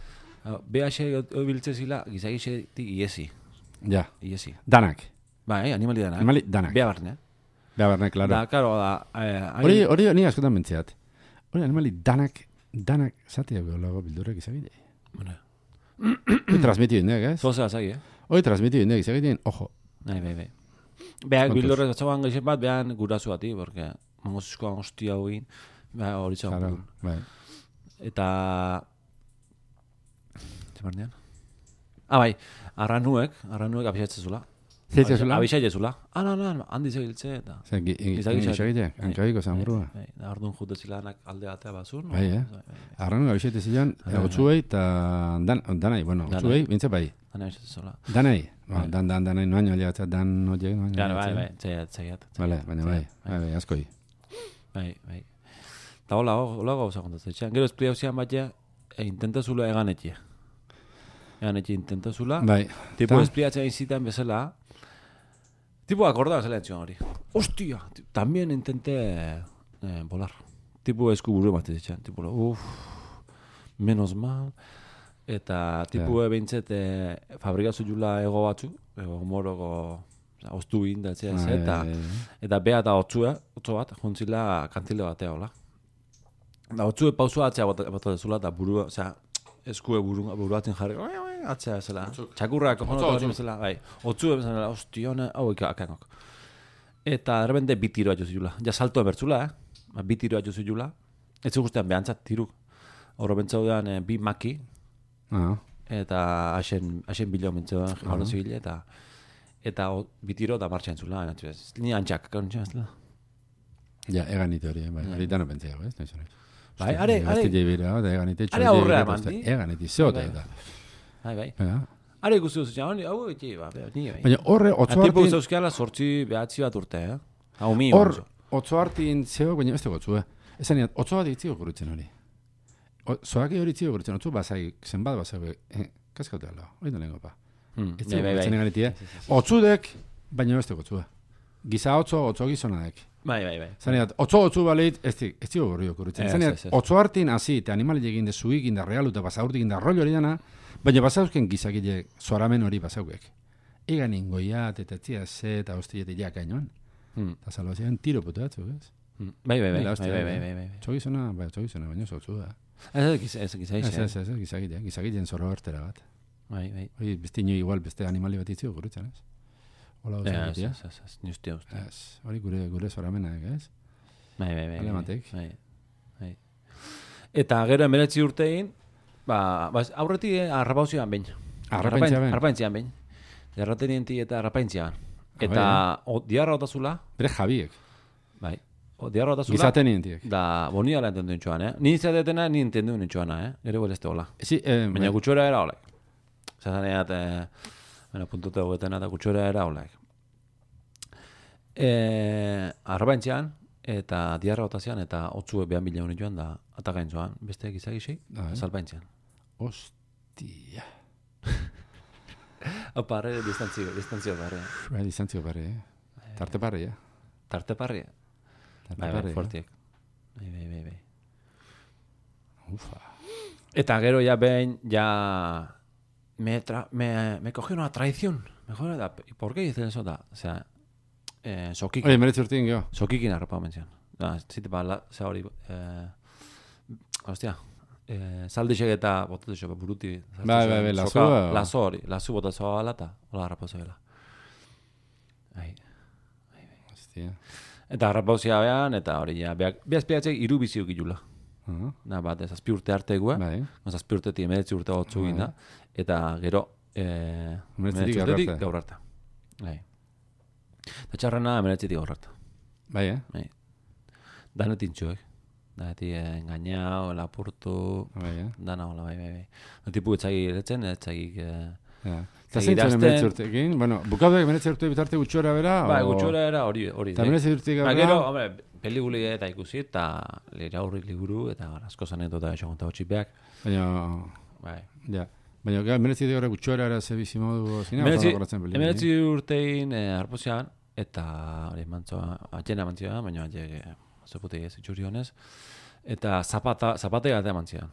beha xe obiltze zila, gizaki xe iesi. Ja, Iesi. danak. Bai, animali dana. Animali danak. Beha barne. Beha barne, klaro. Da, karo, da... Eh, hain- Hori, hori, ni askotan mentziat. Hori, animali danak, danak, zatea geolago bildurek izagile. Bueno, Hori transmiti indek, ez? zoze azagi, eh? Hori transmiti indek, izagile, ojo. Bai, bai, bai. Beak Kontuz. bildurrez batzagoan gaixen bat, behan gurasu bati, porque mangozizkoan hostia hogin, beha hori txagun. Claro, bai. Eta... Zemarnean? Ah, bai, arranuek, arranuek abixatzen zula. Zeitzea zula? Abixatzen zula. Ah, no, no, handi zegiltze, eta... Zer, gi- gi- Izagile. izagile, hankabiko zamurua. Bai, da, orduan jute zilanak alde batea bazun. Bai, eh? Arranu gabixete zilan, otzuei eta dan, danai, bueno, Danai. otzuei, bintze bai. Dana abixatzen zula. Danai, ba, Bai. dan, dan, danai, noaino aliatza, dan horiek, noaino Claro, bai, aliatza. bai, txaiat, txaiat. Vale, baina bai, bai, bai, askoi. Bai, bai. Eta hola, hola gauza kontatzen. Txan, gero esplia zian bat ja, e, intenta zula egan etxe. Egan etxe intenta zula. Bai, Tipo Ta? espliatzen zitan bezala. Tipo akorda zela etxon hori. hostia, también intenté eh, volar. Tipo esku buru ematen zitxan, tipo, uff, menos mal. Eta tipu yeah. Behintzet e, fabrikazu jula ego batzu, ego moroko oztu indatzea ez, ah, eta, yeah, yeah. Eta beha eta otzua, otzo bat, jontzila kantile batea hola. Da otzue pausua atzea bat dezula, eta burua, osea, eskue buru, buruatzen jarri, atzea ezela, txakurrak, ezela, bai, otzue bezala, ostiona, hau ikakangok. Eta erbende bitiroa jozu jula, ja salto ebertzula, eh? Bitiroa jozu jula, ez guztian behantzat tiruk, horro bentzaudean e, bi maki, Uh-huh. Eta hasen hasen bilo mentzoa uh-huh. Zibile eta eta o, bitiro da martxan zula, ni antxak kontxa ezla. Ja, eganite hori, bai. Hori dano pentsea, ez? Naiz hori. Bai, are, are. Da eganite txori. Are aurrea mandi. Eganite zota eta. Bai, bai. Are guztu zuzia, hau eti, ba, ni bai. Baina horre otzo hartin. Tipo zauzkiala sortzi behatzi bat urte, eh? Hau mi. Hor otzo hartin zeo, baina beste gotzu, eh. Esan otzo bat itziko gurutzen hori. Zoaki hori txio gurtzen, otzu basai, zenbat basai, eh, kaskaute ala, hori da lengo pa. Ez bai, bai, bai. Otzudek, baina beste gotzua. Giza otzo, otzo gizonadak. Bai, bai, bai. Zaneat, otzo otzu baleit, ez txio gorrio gurtzen. Zaneat, otzo hartin hasi, eta animali egin de zuik, inda realu, eta basaurtik inda rollo hori dana, baina basauzken gizakile zoramen hori basaukek. Egan ingoiat, eta tzia ze, eta hostiet iak ainoan. Eta salvazian tiro putu batzuk, ez? Bai, bai, bai, bai, bai, bai. Txogizona, bai, txogizona, baina zotzu da. Ez ez ez ez ez ez ez gizagitea, gizagiten zorro bertera bat. Bai, bai. Hori beste ino igual beste animali bat itzio gurutzen, ez? Hola, osagitea. Ez, ez, ez, ni ustea uste. Ez, hori gure gure zoramena, ez? Bai, bai, bai. Alematek. Bai. Bai. Eta gero hemeretzi urtein, ba, ba aurreti arrapauzioan behin. Arrapaintzian behin. Arrapaintzian behin. Erratenienti eta arrapaintzian. Eta diarra otazula. Bere Jabiek. Bai. O diarra otazula. Gizaten nientiek. Da, bonia la entendu nintxoan, eh? Ni izadetena, ni entendu nintxoana, eh? Gero boleste hola. Sí, eh, baina gutxora era hola. Zazaneat, eh, baina puntute hogetena eta gutxora era hola. Eh, arrapaintzian, eta diarra otazian, eta otzue behan bila unitxoan, da, atakaintzoan, beste gizagixi, salpaintzian. Ostia. Opa, arre, distantzio, distantzio barre. Bai, distantzio barre, eh? Tarte barre, eh? Tarte barre, bai, bai, fortiek. Bai, bai, bai, bai. Ufa. Eta gero ya behin, ya... Me, tra me, me cogió una traición. Mejor da... ¿Y por qué dicen eso? Da? O sea... Eh, sokikin. Oye, meretzi urtin, gero. Sokikin arrapa menzian. Da, zite pa, la, ze hori... Eh, hostia... Eh, saldixek eta botatu xo, buruti... Bai, bai, bai, lazu... Lazu hori, lazu botatu ala eta... Hola, arrapa zebela. Ai... Hostia... Eta arrapauzia behan, eta hori ja, behazpiatzek iru biziuk ilula. Uh-huh. Na, bat, ez azpi urte artegua, bai. Azpi urtetik emeretzi urte gotzu uh-huh. Ginda, eta gero, eh, emeretzi urtetik gaur harta. Bai. Eta txarrena emeretzitik gaur harta. Bai, eh? Bai. Danetik txuek. Danetik eh, engañao, lapurtu, bai, eh? Dana hola, bai, bai, bai. Notipu etzagi eretzen, etzagi... Eh, ja. Eta zintzen emeretzi urtekin? Bueno, bukaudek emeretzi urte bitarte gutxora bera? Ba, o... gutxora era hori hori. Eta emeretzi urtetik gaur? Gero, hombre, pelikuli eta ikusi, eta lera horri liburu, eta asko zanetota eixo gonta hotxipeak. Baina... Bai. Ja. Baina, emeretzi urte gutxora era ze bizimodu zina? Emeretzi urtein eh, arpozian, eta hori mantzoa, atxena mantzioa, baina atxe, zeputei ez itxuri honez, eta zapata, zapatea eta mantzian.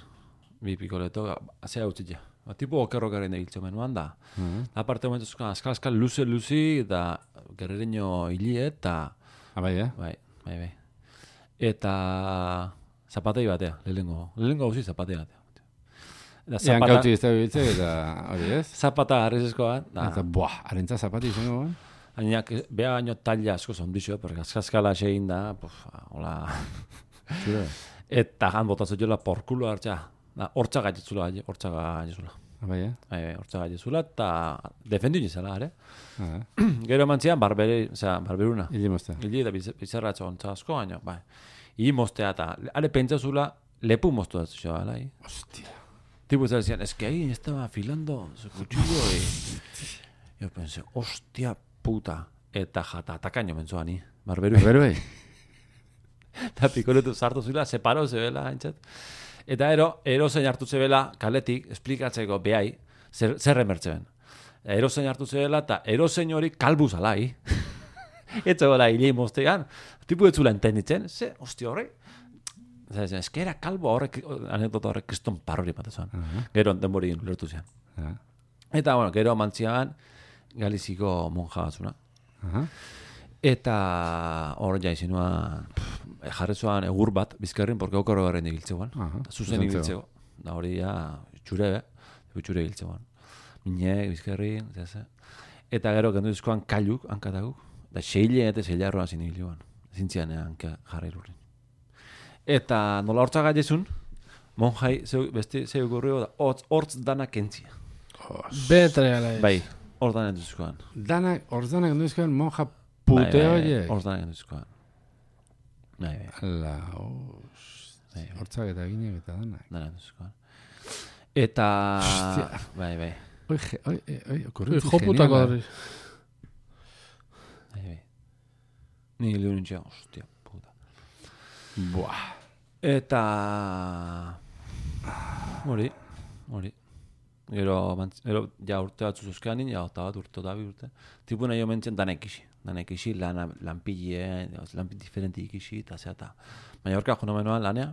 Bi pikoleto, azea utzitia. Ba, tipo okerrokaren egiltzo menuan da. Uh-huh. Aparte momentuzko, askal-askal luze-luzi, eta gerrereño hilie, eta... Ah, bai, eh? Bai, bai, bai. Eta zapatei batea, lehengo. Lehengo hauzi zapatei batea. Zapata... Ean kauti ez da biltze, eta hori ez? Zapata arrezeskoa. Eta, buah, arentza zapati izango, eh? Baina, beha baino talla asko zondixo, porque askal-askala segin da, puf, hola... Eta han botatzen jola porkulo hartza. Hortza gaitzula, hortza gaitzula. Bai, eh? Bai, hortza gaitzula, eta defendu nizela, ere? Gero mantzian, barberi, osea, barberuna. Ili mostea. Ili eta bizarratzo ontza asko, baina, bai. Ili mostea eta, are pentsazula, lepu mostu da zuzio, alai? Hostia. Tipo, ez decían, es que ahí estaba afilando su cuchillo, y yo pensé, hostia puta. Eta jata, atakaino mentzoa ni, barberui. Barberui? Eta pikoletu sartu zula, separo zebela, haintzat. Eta ero, ero zein hartu zebela, kaletik, esplikatzeko behai, zer, zer emertzen. Ero zein hartu zebela, eta ero zein hori kalbuz alai. Etxe gola, hilei moztean, tipu ez zula entenditzen, ze, hosti horrek, ez que era kalbo horrek, anekdota horrek kriston parrori bat esan. Gero, denbori lertu zean. Eta, bueno, gero mantziagan, Galiziko monja batzuna. Eta hor jaizinuan, jarrezuan egur bat, bizkarrin, porque okoro garren ibiltzegoan. Zuzen ibiltzego. Da hori ja, txure, be, txure ibiltzegoan. Minek, bizkarrin, zeze. Eta gero, gendu dizkoan kailuk, hankataguk. Da seile eta seilarroan zin ibilioan. Zintzian hanka jarri lurrin. Eta nola hortza gaitezun, monjai, beste zeu gorrio da, hortz dana kentzia. Betre ala ez. Bai, hor dana duzkoan. Danak, hor danak duzkoan monja pute horiek. Hor dana duzkoan. Bai, bai. Ala, os... Hortzak eta ginek eta danak. Dana duzkoan. Eta... Hostia. Bai, bai. Oi, oi, oi, okurrentzi Joputako geniala. horri. Bai, bai. Ni liunintzea, hostia, puta. Buah. Eta... Hori, hori. Gero, gero, ja urte bat zuzuzkean nien, ja eta bat urte eta bi urte. Tipu nahi omentzen danek isi. Danek isi, lan, lanpille, lan diferenti ikisi, eta zea, eta... Baina horka jona menoan lanea.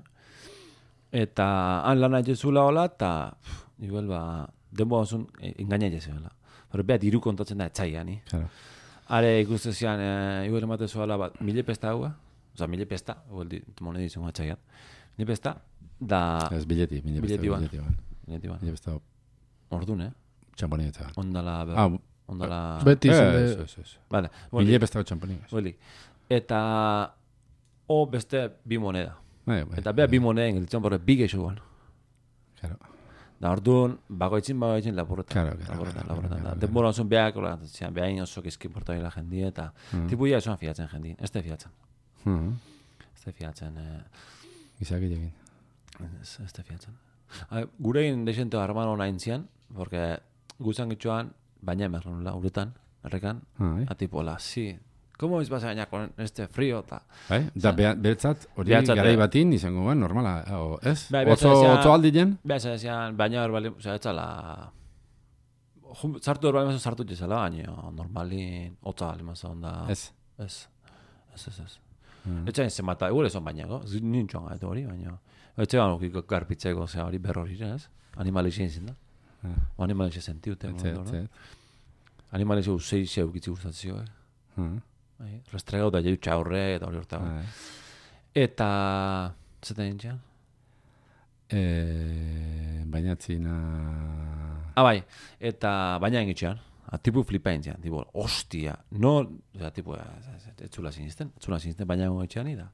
Eta han lana jezula hola, eta... Igual, ba... Denbo bazun, engaina jezela. Pero beha diru kontatzen da, etxaia, ni. Claro. Are ikusten zian, e, igual emate zuela bat, mile pesta hau, oza, mile pesta, igual di, monedi izango atxaiat. Mile pesta, da... Ez bileti, mile besta, Bileti ban. bileti ban. Bileti ban. Mile besta, Ordun, eh? txamponin eta. Ondala, ber, Ah, ondala... Beti izan Ez, de... ez, ez. Vale, Mile besta txamponin. boli. Eta... O beste bi moneda. Bai, bai. Eta bea bi moneda engelitzen, borre, bi geixuan. Claro. Da orduan, bagoitzin, bagoitzin, lapurreta. Claro, claro, Lapurreta, claro, lapureta. claro, claro. Denbora osun beak, zian, beha inoso gizki portaila jendi, eta... Tipu ya esuan fiatzen jendi, ez te fiatzen. Mhm. Ez te fiatzen, eh... Gizakilekin. Ez, ez te fiatzen. A, gurein desente harman hona intzian, porque guzan gitxuan, baina emerronula, uretan, errekan, Ah, bai. a tipo, la, sí, ¿cómo es vas a bañar con este frío? Ta? Bai? Da, bea- beretzat, hori Behatzat, garai eh. batin izango ben, normala, o, ez? Bai, Otzo, behatzat otzo aldien? Beha, zezian, baina hor bali, osea, etzala... Jum- Sartu hor bali mazo sartu jezala, baina normalin, otza bali mazo onda... Ez. Ez, ez, ez, ez. Mm. Etxain zenbata, egure son bainako, nintxoan gaitu hori, baina... Etxean okiko garpitzeko, zea hori berrori, ez? Animalixen izin da. Ah. O animalixen sentiute. Etxe, etxe. Animalixen usei xe ukitzi gustatzio, eh? Ah, Bai, restregau da jeutxa horre eta hori hortago. bai. Eta... Zeten nintxean? Eh, bainatzina... Ah, bai, eta baina engitxean. A, tipu flipa intzian, tipo, hostia, no... Oza, tipu, ez zula sinisten, ez zula sinisten baina engitxean, da...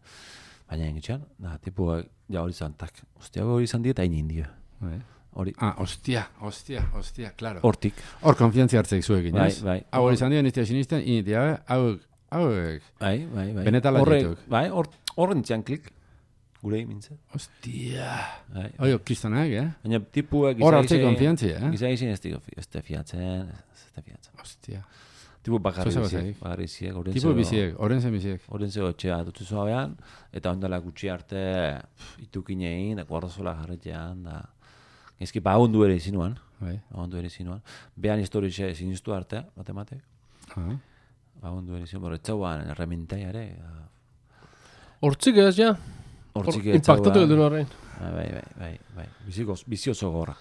Baina engitxean, da, tipu, ja hori zantak. Hostia, hori izan die eta inin dio. Bai. Hori, Ah, hostia, hostia, hostia, claro. hortik. Hor konfiantzia hartzeik zuekin, Bai, ez? bai. Hau hori izan dira niztia sinisten, initia, hauek, hauek, Bai, bai, bai. Benetala Horrek- dituk. Bai, hor, horren txan klik. Gure mintzen. hostia. Bai. Oio, kristonak, eh? Baina tipuak Hor hartzei konfiantzia, eh? Giza izin ez dio, ez te fiatzen, ez te fiatzen. Hostia. Tipu bakarri Zoze biziek, bazaik. bakarri biziek, oren Tipo biziek, oren zen biziek. Oren zego etxea dutzu zoabean, eta ondala gutxi arte pff, itukinein, da guardazola jarretxean, da... Ezki pagundu ere izinuan, Bai. pagundu ere izinuan. Behan historixe sinistu arte, bate-mate, Ah. pagundu ere izinuan, borretzauan, erremintaiare, Hortzik ez, ja? hortzik Impactatu edo horrein. Bai, bai, bai, bai, bai, biziko, bizioso gorra,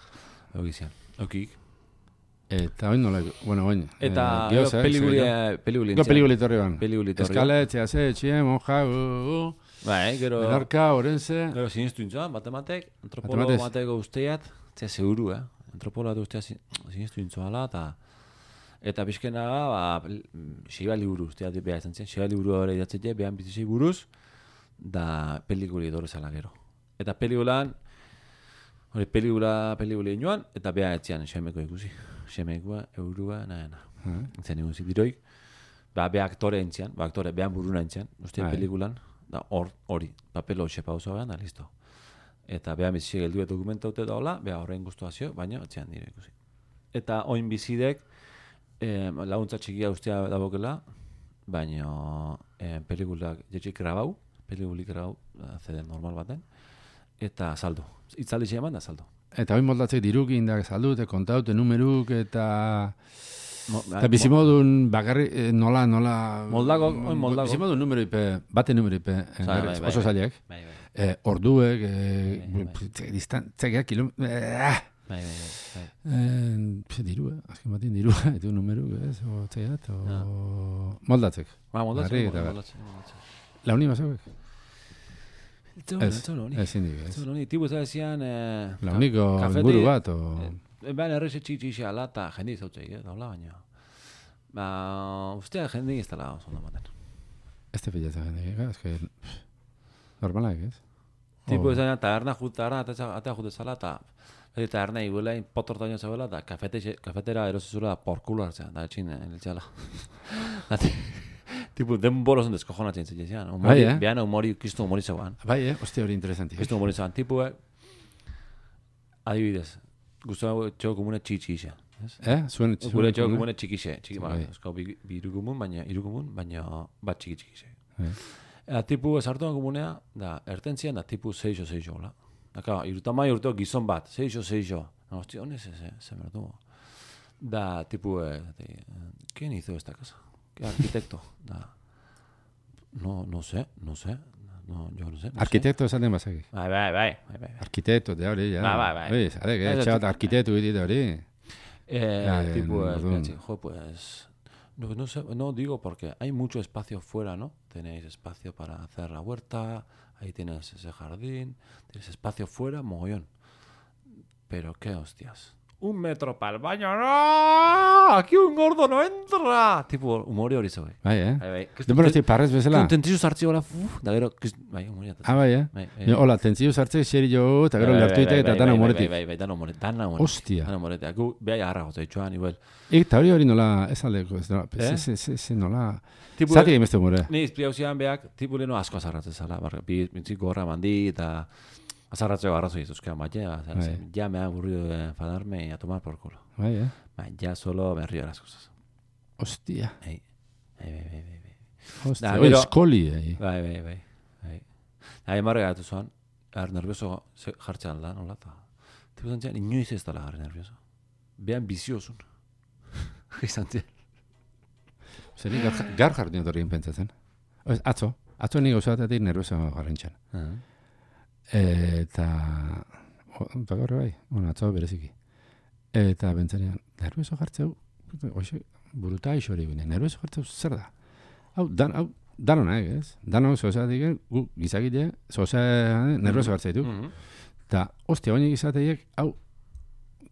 egizian, eukik. Eta oin nola, bueno, oin. Eta eh, gioza, eh, peliguli, seguro. peliguli, Go peliguli torri ban. Peliguli torri. Eskale, etxea ze, etxea, monja, uh, uh, Bai, gero... Menorka, orense. Gero sinistu intzuan, batematek, antropologo Matematez. bateko usteat, zea seguru, eh? Antropologo bat ustea sinistu intzuala, eta eta pixkena, ba, xiba liburu usteat beha izan zen, xiba liburu hori idatzete, behan bizitzei buruz, da pelikuli dorrezala gero. Eta pelikulan, hori pelikula, pelikuli inoan, eta beha etzian xemeko ikusi. Xemekoa, eurua, nahi, nahi. Ah, Zen egun zidiroik, ba, be aktore entzian, ba, aktore, behan buruna entzian, uste Bai. pelikulan, da hor, hori, papelo xepa oso behan, da, listo. Eta behan bizitzek geldu dokumentaute da hola, beha horrein guztuazio, baina etzian dire ikusi. Eta oin bizidek, eh, laguntza txikia ustea dabokela, baina eh, pelikulak jetxik grabau, pelikulik grabau, C D normal baten, eta saldo. Itzaldi eman da saldo. Eta oin moldatzek dirukin da saldute, kontaute, numeruk, eta... Mo- Eta bizimodun bakarri, eh, nola, nola... Moldago, oin moldago. Bizimodun numero ipe, bate numero ipe, eh, Bai, bai, bai, oso bai. zailek. Bai, bai. Eh, orduek, eh, Bai, bai. distantzak, kilometro... Eh, Bai, bai, bai. eh, pse, dirua, azken batin dirua, etu numero, ez, o txaiat, o... Ja. Moldatzek. Ba, moldatzen, Barri eta bar. moldatzen, moldatzen. Launi bazauek? Ez, Ez, ez, honi. ez indik, Ez, ez. honi. Tibu ez ezian... Eh, Launiko kafeti- inguru bat, o... Eh, Baina errexe txitxixe ala eta jendi izautzei, eh, daula baina. Ba, ustea jendi ez dela oso ondo maten. Ez te pilatzen jendik, ez que... Normalak, ez? Tipo Oh. ez da, taberna jut, taberna atea jute zala, eta beti taberna iguela, potortaino zeuela, eta kafete, kafetera erosizula porkulo hartzea, da etxin, eltxala. Tipo, denboro zen deskojonatzen zitzean. Bai, eh? Behan humori, kistu humori zeuan. Bai, eh? Ostia hori interesanti. Kistu humori zeuan. Tipo, eh, adibidez, guztua txoko komune txitxixe. Eh? Zuen... Gure txoko komune txikixe. Txiki, ba, Bai. eskau bi, bi irukumun, baina irukumun, baina bat txiki txikixe. Bai. Eta tipu esartuan komunea, da, ertentzian da tipu seixo seixo, la. Da, claro, irutamai urteo gizon bat, seixo seixo. No, hostia, ¿dónde es ese? Se me lo Da, tipu, eh, de, ¿quién hizo esta casa? ¿Qué arquitecto? Da, no, no sé, no sé. No, yo no sé. No Arkitekto esaten bazakik. Sé. Bai, bai, bai, bai, bai. Arkitekto, da hori, ja. Bai, bai, bai. Bai, zare, Ez, que txat, arkitektu egite hori. Eh, Ya, tipo, en eh, Ordun. espérate, jo, pues... No, no, sé, no digo porque hay mucho espacio fuera, ¿no? Tenéis espacio para hacer la huerta, ahí tienes ese jardín, tienes espacio fuera, mogollón. Pero qué hostias. Un metro para el baño, ¡no! Aquí un gordo no entra. Tipo, humori hori zeu. Bai, eh? Bai, bai. Denbora esti parrez bezala. Tentzio sartzi hola, uf, da gero, kist- bai, humori atatzen. Ah, bai, eh? Bai, bai. Ni, Hola, tentzio sartze, xeri jo, eta gero Bai, bai, lertuitek bai, eta bai, dana bai, humoretik. Bai, bai, bai, dana humoretik, dana humoretik. Hostia. Dana humoretik. Gu, behai agarra gotza itxuan, igual. Eta hori hori nola, ez aldeko, ez nola, Eh? ez, ez, ez, nola... Tipo, Zati egin beste humore. Ni izpliauzian behak, tipu leheno asko azarratzen zala. Barra, bi, bitzik gorra mandi eta azarratzeko arrazo dituzkean bat, ja. O sea, Bai. ya me ha aburrido de enfadarme y a tomar por culo. Bai, eh? Ba, ya solo me río de las cosas. Hostia. Bai, bai, bai, bai, bai, bai. Hostia, Da, hori gero- eskoli, eh? Bai, bai, bai, bai. Nahi marre gatu zuan, er, nervioso ze- jartzean da, nola, eta... Tipu zantzian, inoiz ez dala jarri nervioso. Behan biziozun. Izan zian. Zeri, gar, gar jardin etorrien pentsatzen. Ez, atzo, atzo nik gauzatetik nervioso garrantxan. Eta... o, Eta gaur bai, bueno, atzo bereziki. Eta bentsanean, nervioso jartzeu, oixe, buruta isori bine, nervioso jartzeu zer da? Hau, dan, hau, danonak, ez? Danok zozatik, gu, gizakile, zoza, nervioso jartzeitu. Eta, ostia, baina gizateiek, hau,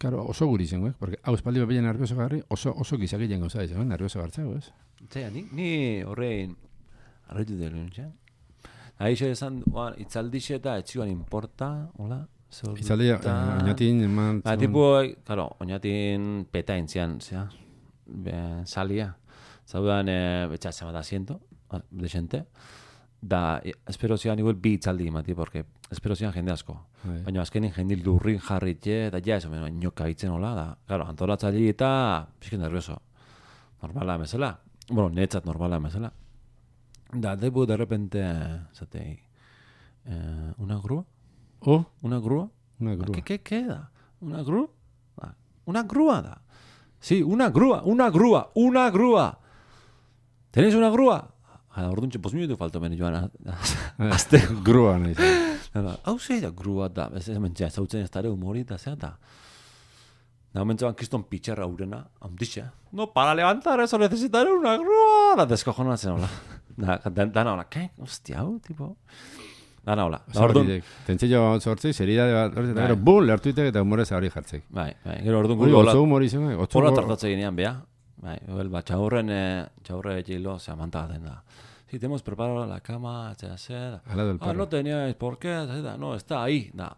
claro, oso guri zenguek, porque hau espaldi bepeian nervioso garri, oso, oso gizakileen gauza izan, nervioso gartzeu, ez? Zea, ni, ni horrein arretu dut nintzen. Aixe esan, oan, itzaldixe eta etxioan importa, hola? Itzaldi, eh, oinatin, eman... Ba, tipo, claro, oinatin peta intzian, zea, be, salia. Zaudan, eh, betxatzen bat asiento, desente, da, e, espero zian igual bi itzaldi imati, porque espero zian jende asko. Bai. Baina azkenin jende lurrin jarritxe, eta ja, eso, beno, inoka itzen hola, da, claro, antolatzaile eta pixke nervioso. Normala emezela. Bueno, netzat normala emezela. Da, debu de repente, zatei, eh, una grúa? Oh, Una grúa? una grúa. ¿Qué, qué queda? ¿Una grúa? Ah, una grúa da. Sí, una grúa, una grúa, una grúa. ¿Tenéis una grúa? Ah, orduntxe, pos minutu falto meni joan. Azte. Grua nahi zen. Hau zei da grúa da. Ez ez mentxea, zautzen ez dara humori da zea da. Da momentzoan kriston pitxerra urena, handixe. No, para levantar eso necesitaré una grúa. Da deskojonatzen hola. Da, da, dana hola, ¿qué? Hostia, hau, tipo... Dana hola. Da, orduan, Tentzio sortzi, zeridade bat, eta Bai. gero, bum, lertuitek eta humorez hori jartzeik. bai, bai, gero orduan Hori, guri hola, otzo humori zen, otzo hola humor- tartatze ginean, bea. Bai, bel, ba, txaurren, eh, txaurre etxilo, se amantaten da. Sí, te hemos preparado la cama, etcétera. Al lado del Ah, perro. no teníais por qué, etcétera. No, está ahí, da.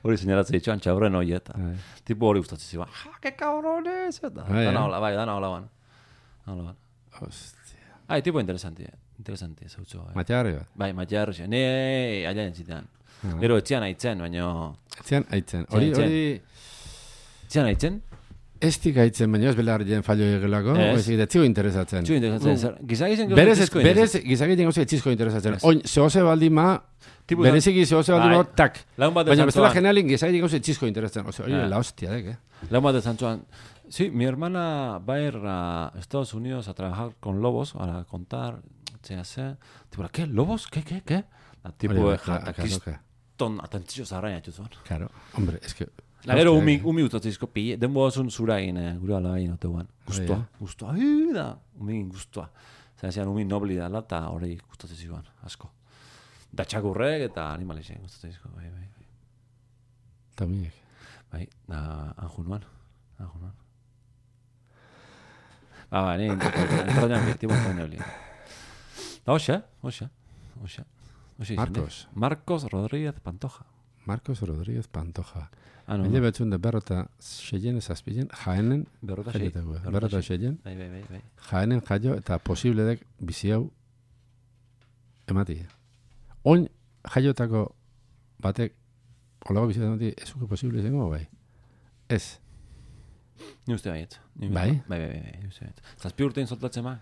Hori señalatzen ditxoan txaurren hori eta. Bai. Tipo hori gustatzen ziba. Ja, que cabrones, eta. Bai, Dana eh? hola, bai, dana hola ban. Dana hola ban. Hostia. Ai, tipo interesanti, interesanti, zautzo. Eh. Matearri bat. Bai, matxarri, ne, aia entzitean. Ah. Gero etxean aitzen, baina... Etzean, aitzen. Hori, Etzean. hori... Etxean aitzen? Ez tik aitzen, baina ez belarrien fallo egelako, Ez. ez etziko interesatzen. Txu interesatzen, zer, gizagizien Berez, berez, gizakiten gauza etzizko interesatzen. Ez. Oin, zehoze baldima, Tipo, bereziki zehoze baldima, bai. tak. Lagun bat Baina esan bestela zuan, generalin gizakiten gauza etzizko interesatzen. Ose, hori, Ah. la hostia, dek, eh? lagun bat esan zuan, Sí, mi hermana va a ir a Estados Unidos a trabajar con lobos, a contar, se hace, tipo, ¿qué? ¿Lobos? ¿Qué, qué, qué? La tipo, Hori, ja, claro, kriston atentzio zarraina txuzun. Claro, hombre, es que... La gero umi, umi utatzizko pille, denbo zun zura egin, eh, gure ala egin oteguan. Guztua, guztua, hi, da, umi guztua. Zer zian, umi nobli dala, eta hori gustatzizikoan, asko. Da txakurrek eta animalixen gustatziziko, bai, bai, bai. Tamiek. Bai, da, anjunuan, anjunuan. Ba, ba, ni, entrañan victimo eta nebli. Da, hoxe, hoxe, hoxe. Marcos. Marcos Rodríguez Pantoja. Marcos Rodríguez Pantoja. Ah, no. Mila betzun de berrota seien ezazpilen, jaenen, Berrota sei. berrota seien, Bai, bai, bai, bai. jaenen jaio eta posibledek bizi hau emati. Oin jaiotako batek olago bizi emati ezuke posible izango bai. Ez. Ni uste baiet. Ni Bai? Bai, bai, bai, ni uste baiet. Zazpi urtein soltatzen ma?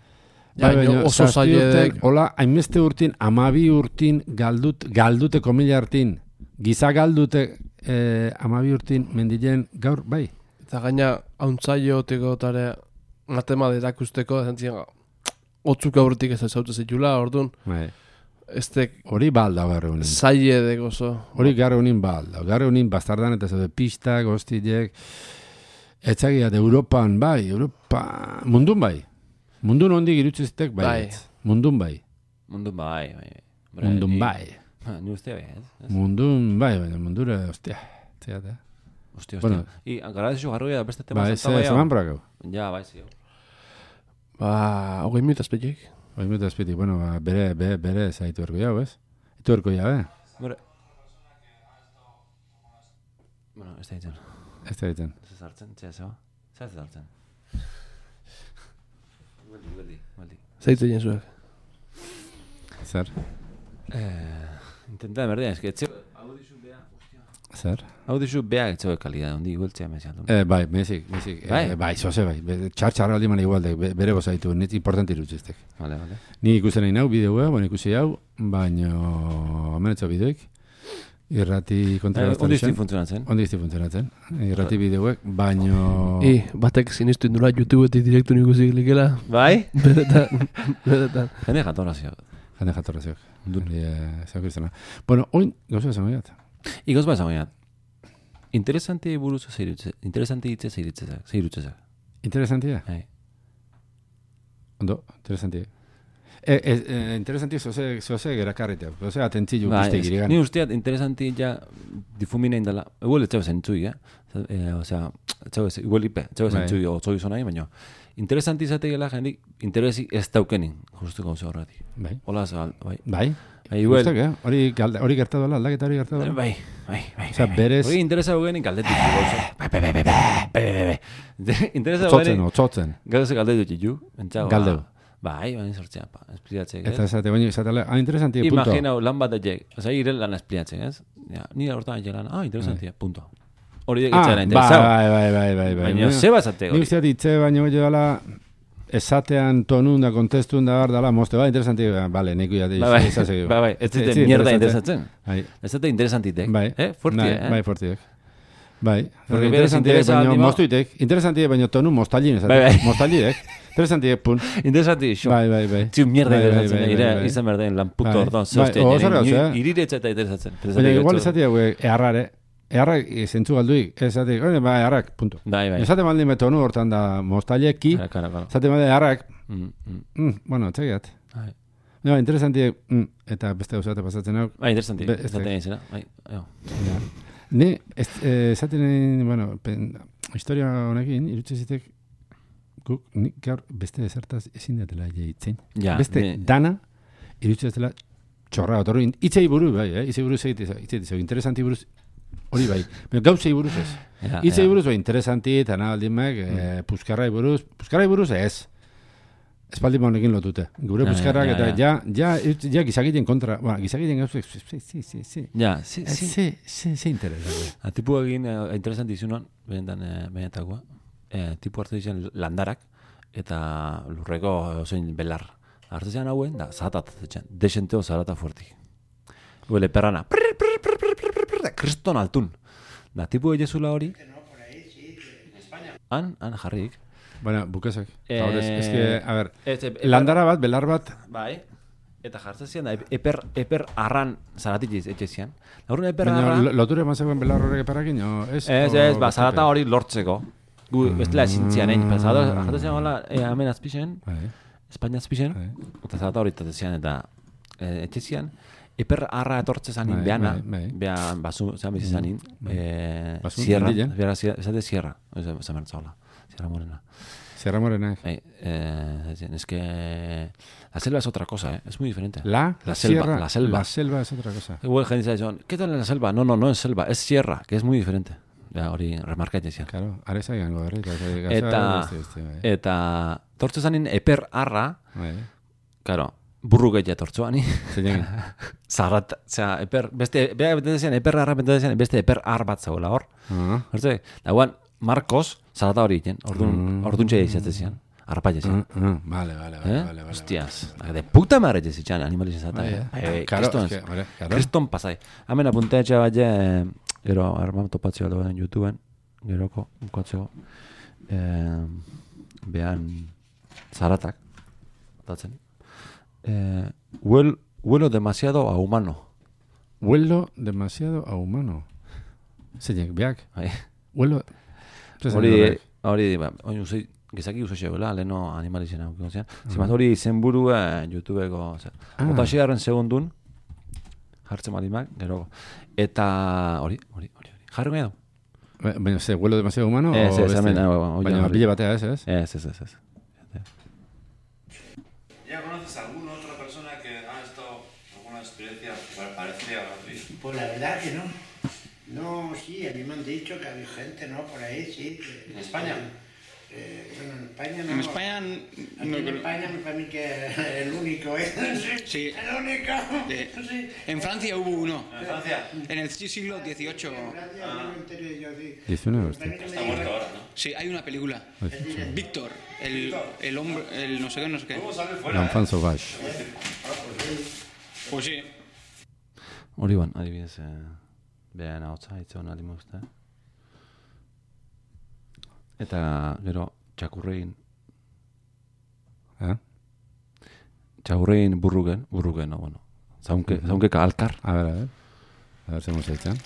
Bai, baina oso zazpi zaila urtek, hola, hainbeste urtin, amabi urtin galdut, galdute komila hartin, giza galdute eh, amabi urtin mendilen gaur, bai. Eta gaina hauntzaio teko tare matema derakusteko, zentzien, otzuk aurretik ez zaute zitula, orduan, Bai. ez tek Hori balda gaur egunin. zaile deko oso. Hori gaur egunin balda. Gaur egunin bastardan eta zaude pistak, hostilek, etzagia de Europan, bai, Europa, mundun bai. Mundun hondik irutzezitek, bai. Bai. ez. Mundun bai. Mundun bai, bai. bai. Mundun Ni- bai. Ha, Ni uste bai, ez? ez? Mundun bai, baina mundura, ostia. Zeate. Hostia, hostia. Bueno. I, garazio garroia da beste tema Bai, zanta ze, zeman brakau. Ja, bai, zio. Ba, hogei minuta azpeiek. Hoi mutu azpiti, bueno, ba, bere, bere, bere zaitu erko jau, ez? Itu erko jau, eh? Bere... Bueno, ez da ditzen. Ez da ditzen. Ez ez hartzen, txea zeba. Zer ez hartzen. Gueldi, gueldi, gueldi. Zaitu egin zuek. Zer? Eh, intenta de merdean, eske, etxe... Hau dizu bea, hostia. Zer? Hau dizu bea etxeo kalidad, ondi gueltzea mezian. Eh, bai, mezik, mezik. Bai? Eh, bai, zoze bai. Be- Txar txarra aldi man igualdek, be- bere bozaitu, net importante irutxiztek. Vale, vale. Ni ikusten nahi nau, bideoa, bueno, ikusi hau, baino amenetxo bideoik, irrati kontra Eh, bastan ondi izan. izti funtzionatzen. Ondi izti funtzionatzen. Irrati bideoek, baino... I, batek sinistu indula YouTubeetik direktu ikusi likela. Bai? Beretan, beretan. Jende jatorra zio. Jende jatorraziok. Hori, eh, zeu kristana. Bueno, oin, gauza esan gaiat. Igoz ba esan gaiat. Interesante buruz zeirutze. Interesante hitze zeiritzezak. Zeirutzezak. Interesantia? Bai. Ondo, interesantia. E, e, e, interesantia zoze, zoze gerakarritea. Zoze atentzilu Bai, guztiak ez- irigan. ni usteat interesante ja difumina indala. Igual etxeo zentzui, eh? Eh, o sea, etxeo ez, igual ipe, etxeo Bai. zentzui otzoi zonai, baina interesante izateela jendik interesi ez daukenin, justu gauza horretik. Bai. Hola, zabal, bai. Bai. Bai, igual. Guztak, eh? Hori, galda- hori gertatu dela, aldaketa hori gertatu dela. Bai, bai, bai. Osea, bai, bai. berez- Hori interesa dugenik galdetik gauza. Bai, bai, bai, bai, bai, bai, bai, bai. Interesa Otzotzen, dugenik otzotzen. gauza galdetu txitu. Entzago, Galdeu. Bai, baina sortzea, pa, espliatzek, Eta esate, baina izatela, ah, interesantia, punto. Imagina lan bat daiek, oza, ire lan espliatzen, ez? Ja, ni hortan lan, ah, interesantia, punto. Hori Ah, etzera bai, interesau. bai, bai, bai, bai, bai. Baina, zeba esate Ni hori. usteat itze baino gehiago dela, esatean tonun da, kontestun da, bar dela, moste, bai, interesantia, bale, neiko ya, Bai, bai, bai, bai, ez zite mierda interesatzen. Bai, Ez zite interesantitek, bai. eh? Fuerti, Bai, eh? Bai, fortiek. Bai, Porque interesantiek, interesa baino aldima- mostuitek, interesantiek, baino tonu mostalin, Bai, bai. mostalirek, interesantiek, pun. Interesanti, xo. Bai, bai, bai. Txu mierda Bai, bai, interesatzen, bai, ire, bai, bai. izan berden, lan puto Bai. orduan, Bai, zeoste, o, zer gauza, eh? iriretza eta interesatzen. Baina igual esatia, güey, eharrare, eharrak zentzu galduik, esatik, oine, ba, eharrak, punto. Bai, bai. Esate maldin betonu hortan da mostaleki, Kara, kara, kara. esate maldin eharrak, Mm, mm. mm, bueno, txegiat. Bai. No, interesantiek, mm, eta beste gauzate pasatzen hau. Bai, interesanti, Be- ez esaten da- izena, bai, jo. Ja. Ni, ez, eh, esaten, nahi, bueno, pen, historia honekin, irutze zitek, guk, nik gaur beste ezertaz ezin datela jaitzen. Ja, beste ni- dana, irutze dela txorra, otorri, itzei buru, bai, eh? Itzei buruz egite, itzei buruz, interesanti buruz, hori bai, baina gauzei buruz ez. Ja, Itzei ja. buruz, bai, interesanti, eta nahi aldimek, eh, puskarrai buruz, puskarrai buruz ez. Espaldi honekin lotute. Gure Ja, puskarrak ja, eta ja. ja, ja, ja gizakiten kontra, ba, gizakiten gauzek, sí, sí, sí, sí. Ja, si, Eh, si. Ze, ze, ze interesante. A tipu egin, eh, interesanti izunan, benetan, eh, benetakoa, eh, tipu hartu dizen landarak, eta lurreko ozein belar. Hartu zian hauen, da, zahatat, desenteo zarata fuerti. Huele perrana, prr, prr, prr, prr, prr, prr, prr, kriston altun. Da, tipu egezula hori, Han, han jarrik. Bueno, bukezak. Eh, Gaur ez, ez que, a ver, Ez, ep- landara bat, belar bat, Bai. Eta jartzen zian, da, eper, eper arran zaratik etxe zian. Laurun eper baina arra... lo- loture mazegoen belar horrek eperrakin, o ez? Ez, o ez, ba, beste zarata pe- hori lortzeko. Gu, bestela ezin zian, egin. Zarata, Mm. jatzen zian hola, e, hemen azpixen, Bai, Espainia azpixen, bai. eta zarata hori tatzen zian, eta e, etxe zian, eper arra etortze zanin Bai, behana, bai, bai. beha, basu, zean bizi zanin, e, Basun, sierra, mendilen. bera, esate sierra, ez mertzaola, sierra morena. Sierra Morenak. Eh, eh, es que la selva es otra cosa, ¿eh? Es muy diferente. La, La selva, sierra, la selva. La selva es otra cosa. Igual gente dice, ¿qué tal en la selva? No, no, no es selva, es sierra, que es muy diferente. Ja, hori remarkatzen zian. Claro, areza gango berri. Eta, eta, tortzu zanin eper arra, Bai, claro, burru gehiago tortzu ani. zein Zarat, osea, eper, beste, beha betetzen zian, eper arra betetzen zian, beste eper ar bat zegoela hor. Ah, Hortze, dagoan, Marcos, zarata hori egiten, orduan, orduan txea izatzen zian, arpaia zian. ah, ah, vale, vale, vale, ¿Eh? vale, vale. Hostias, de puta madre te zitxan animalizien zata. Bai, eh. eh. Bai, Claro, kriston, es que, vale, claro. kriston pasai. Hemen apuntetxe bat je, gero, armam topatzeo dagoen YouTubeen, geroko, bukatzeo, eh, behan zaratak, datzen. Eh, huel, huelo demasiado a humano. Huelo demasiado a humano. Zeinek, beak, Bai. huelo... Zer zen Hori, horrek? hori, ba, hori usai, gizaki uso xegoela, leheno animalizien hau zian. Zimaz hori zenburua YouTubeko, Ah. otaxearen segundun, jartzen malimak, gero. Eta hori, hori, hori, hori. Jarri nahi du? Ba- Baina, ze, huelo demasiado humano? Ez, o ez, beste? hemen, ah, ba, hori, Baina, hori. bile batea ez, ez? Ez, ez, ez, ez. ¿Ya conoces a alguna otra persona que ha estado alguna experiencia parecida a la tuya? Pues la verdad que no. No, sí, a mí me han dicho que había gente, ¿no? Por ahí, sí. que- ¿En España? Eh, bueno, en España no. En España Aquí no en creo- España me parece que es el único, ¿eh? Sí. El único. de- Sí. en Francia hubo uno. ¿En Francia? En el siglo dieciocho. Gracias, no me enteré yo, sí. diecinueve, hostia. También me Está dijeron- muerto ahora, ¿no? Sí, hay una película. Hostia. Víctor, el, el hombre, el no sé qué, no sé qué. ¿Cómo sale fuera? L'enfant sauvage. Pues sí. Hori ban, adibidez, eh, behan hau hitz hona limuzte. Eta, gero, txakurrein, Eh? txakurrein burrugen, burrugen, no, bueno. Zaunke, zaunke ka alkar. A ver, a ver. A ver, zemos eitzen.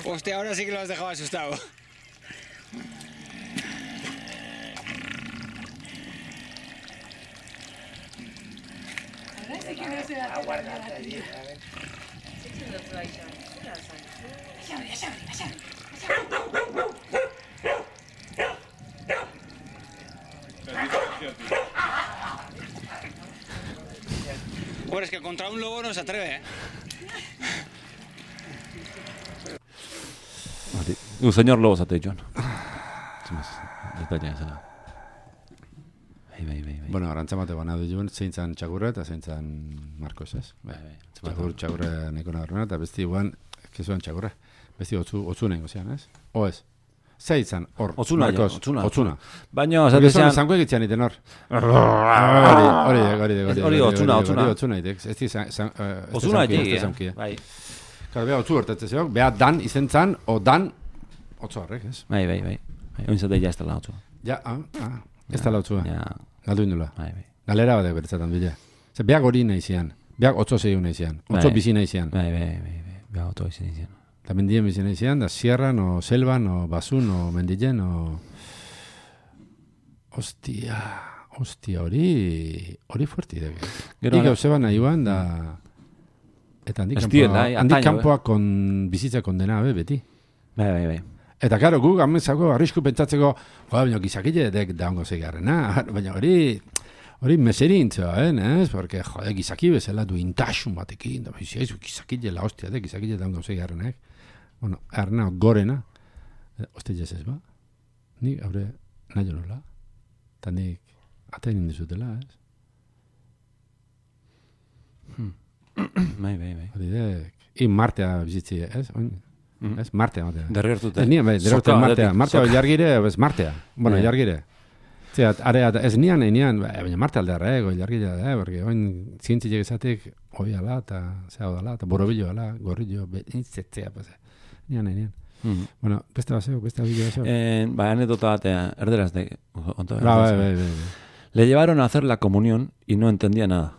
Hostia, ahora sí que lo has dejado asustado. Bueno, es que contra un lobo no se atreve, ¿eh? Hori. U, señor lobo zate joan. Zimaz, detalia zela. Bai, bai, bai, bai. Bueno, arantza mate bana du joan, zein zan txakurra eta zein zan Marcos, ez? Bai, bai. Txakur, txakurra neko nabarrena, eta besti guan, kezuan txakurra. Besti otzu, otzu nengo zean, ez? O ez? Zein zan, hor, Otzuna, ja, Marcos, otzuna. otzuna. Baina, Porque zate son zean... zango egitzean iten hor. Hori, hori, hori, hori, Ez hori otzuna, otzuna. Hori otzuna itek, ez di zan, zan, eh, ez di Ozuna zanki, ez di egia. zanki, eh. Bai, Claro, beha otzu hortetze zeok, beha dan izen zan, o dan, otzu horrek, ez? bai, bai, bai. Bai, oin zate ja ez dela otzua. Ja, ah, ah, ez da lautzua. Ja, Galdu indula. bai, bai. Galera batek beretzatan bile. Ze beak hori nahi zian. Beak otzo zeiu nahi zian. Otzo Bai. bizi nahi zian. Bai, bai, bai, bai. Beha oto izan izan. Eta mendien bizi nahi zian, da sierran, o selvan, o basun, o mendilen, o... Ostia, ostia, hori... Hori fuerti deke. Gero Nik ara- gauze bana iban, da... Eta handik Ez kanpoa, diela, eh, handik antaño, kanpoa kon, bizitza kondena, be, beti. Bai, bai, bai. Eta karo, guk amenzako arrisku pentsatzeko, joa, baina gizakile dek daungo zeigarrena, baina hori... Hori meserintzoa, eh, ez? Porque, jode, gizaki bezala du intasun batekin, da bizia, gizakile la hostia, de, gizakile daungo zeigarrenak. Bueno, arna gorena, eh, hostia ez ez ba? Nik, haure, nahi nola. Eta nik, atain indizutela, ez? Bai, bai, bai. Hori dek, in martea bizitzi, ez? Oin, Mhm. ez? Martea, matea. Derrertute. Ez nien, bai, derrertute Soka, martea. aldetik, Martea, soka. jargire, ez martea. Bueno, Bai. jargire. Zera, area, ez nian, nian, baina Marte aldearra, ego, ilargila da, porque oin zientziek esatek, hoi ala, eta zea odala, eta borobilo ala, gorrillo, intzetzea, pase. Nian, nian. Mm. Bueno, beste baseo, beste abilo baseo. Eh, ba, anedota bat, eh, erderaz de... Onto, Ba, bai, bai, bai. Le llevaron a hacer la comunión y no entendía nada.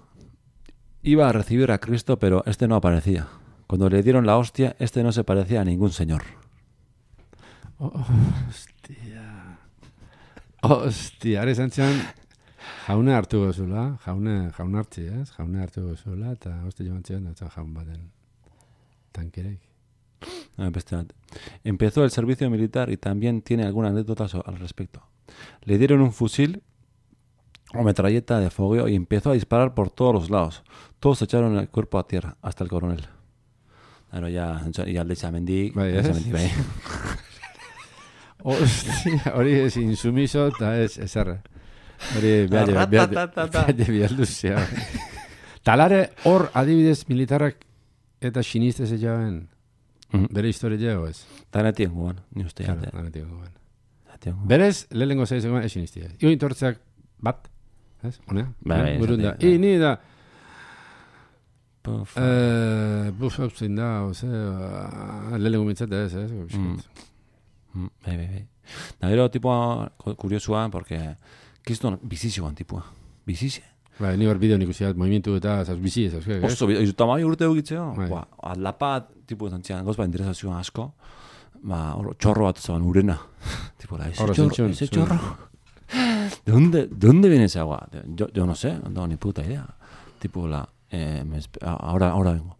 Iba a recibir a Cristo, pero este no aparecía. Cuando le dieron la hostia, este no se parecía a ningún señor. Oh, hostia. Hostia, are zantzian, jauna hartu gozula, jauna, jauna hartzi, ez? Jauna hartu gozula, eta hostia joan zian, eta jaun baten tankerek. No, beste bat. Empezó el servicio militar y también tiene alguna anécdota so- al respecto. Le dieron un fusil o metralleta de fogueo y empezó a disparar por todos los lados. Todos echaron el cuerpo a tierra, hasta el coronel. Claro, ya, ya alde txamendik, Bai, ez? txamendik, bai. Hostia, hori ez insumiso, eta ez, ez erra. Hori behar behar bihalduzia. Talare hor adibidez militarrak eta sinistez egin Mhm. bere historia jego ez. Eta netien guan, ni uste Claro, jate. lanetiko guen. Netien guan. Berez, lehenengo zeiz egon ez sinistia. Io intortzeak bat, ez? Honea? Bai, bai, Burunda. esatea, bai. I ni da, Puf. eh, buf, hau zein da, oze, lehenengo mintzate ez, ez? Mm. Mm, bai, bai, bai. Da gero tipua ku- kuriosua, porque kiston bizizioan tipua. Bizize. Bai, ni bar bideo nik usiat, movimientu eta, zaz, bizi ez, ez? Oso, izu tamai urte egitzeo. Bai. Ba, aldapa, tipo, zantzian, gauz ba, interesazioan asko. Ba, hor, txorro bat zaban urena. tipo, la, ese Horro chorro, zentzun, ese zuen. chorro. ¿De dónde, ¿De dónde viene esa agua? Yo, yo no sé, no tengo ni puta idea. Tipo, la, eh, me espe- ahora, ahora vengo.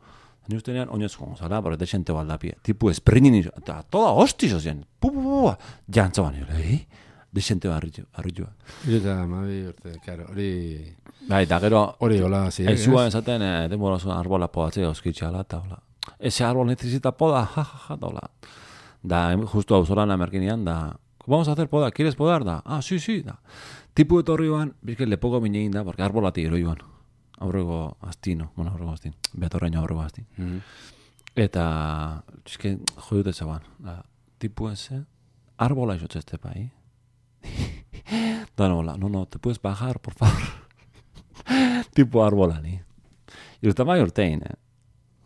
Ni ustenean, oinez jongo zala, porque te xente baldapie. Tipo, espringin, eta toda hostizo zen. Pu, pu, pu, pu. Jantzaban, eh? De xente barritu, barritua. Eta, mabi urte, karo, hori, Bai, da gero, hori hola, ziak, aizua esaten, eh, denbora zuen arbola podatzea oskitxala, eta hola. Ese árbol necesita poda, ja, ja, ja, da hola. Da, em- justo auzolan amerkinean, da, vamos a hacer poda, ¿quieres podar? Da, ah, sí, sí, da. Tipu etorri ban, bizke lepoko minein da, porque arbolati ero joan. Aurrego astino, bueno, aurrego astin, beatorreño aurrego astin. Mhm. Eta, bizke, jodute zaban, da, tipu ese, arbola izotze este pai. Da, no, la, no, no, te puedes bajar, por favor. Tipo arbola, ni. Irutama urtein, eh.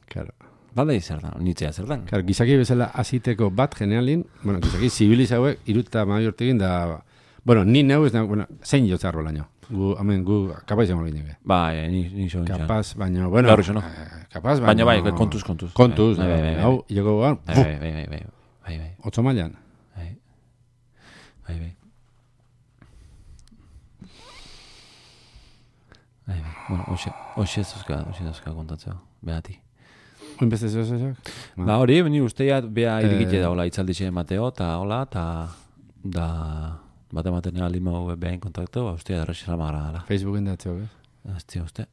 Claro. Baldei zer da, nitzea zer da. Claro, gizaki bezala aziteko bat generalin, bueno, gizaki zibiliz hauek, iruta mabi urtegin da, bueno, ni neu ez da, bueno, zein jotze arbolaino. Gu, hemen, gu, kapaz izango gine. Bai, ni, ni so nintzen. Kapaz, baina, bueno, Gaur iso, no? eh, kapaz, Baina baina, bai, kontuz, kontuz. Kontuz, Bai, bai, bai, bai. hau, hileko guan, Bai, bai, bai, bai, bai, bai, bai, otzo mailan. bai, bai, bai. Bai, bai, bueno, hoxe, hoxe ez duzka, hoxe ez duzka kontatzea, behati. Oin beste zeo zeok? Ba hori, ni usteat bea irikite Eh. da, hola, itzaldixe Mateo, eta hola, eta da, bate maten nela limo behain kontaktu, ba, ustea darrexi salmagra dela. Facebooken da txok, ez? Aztia, uste.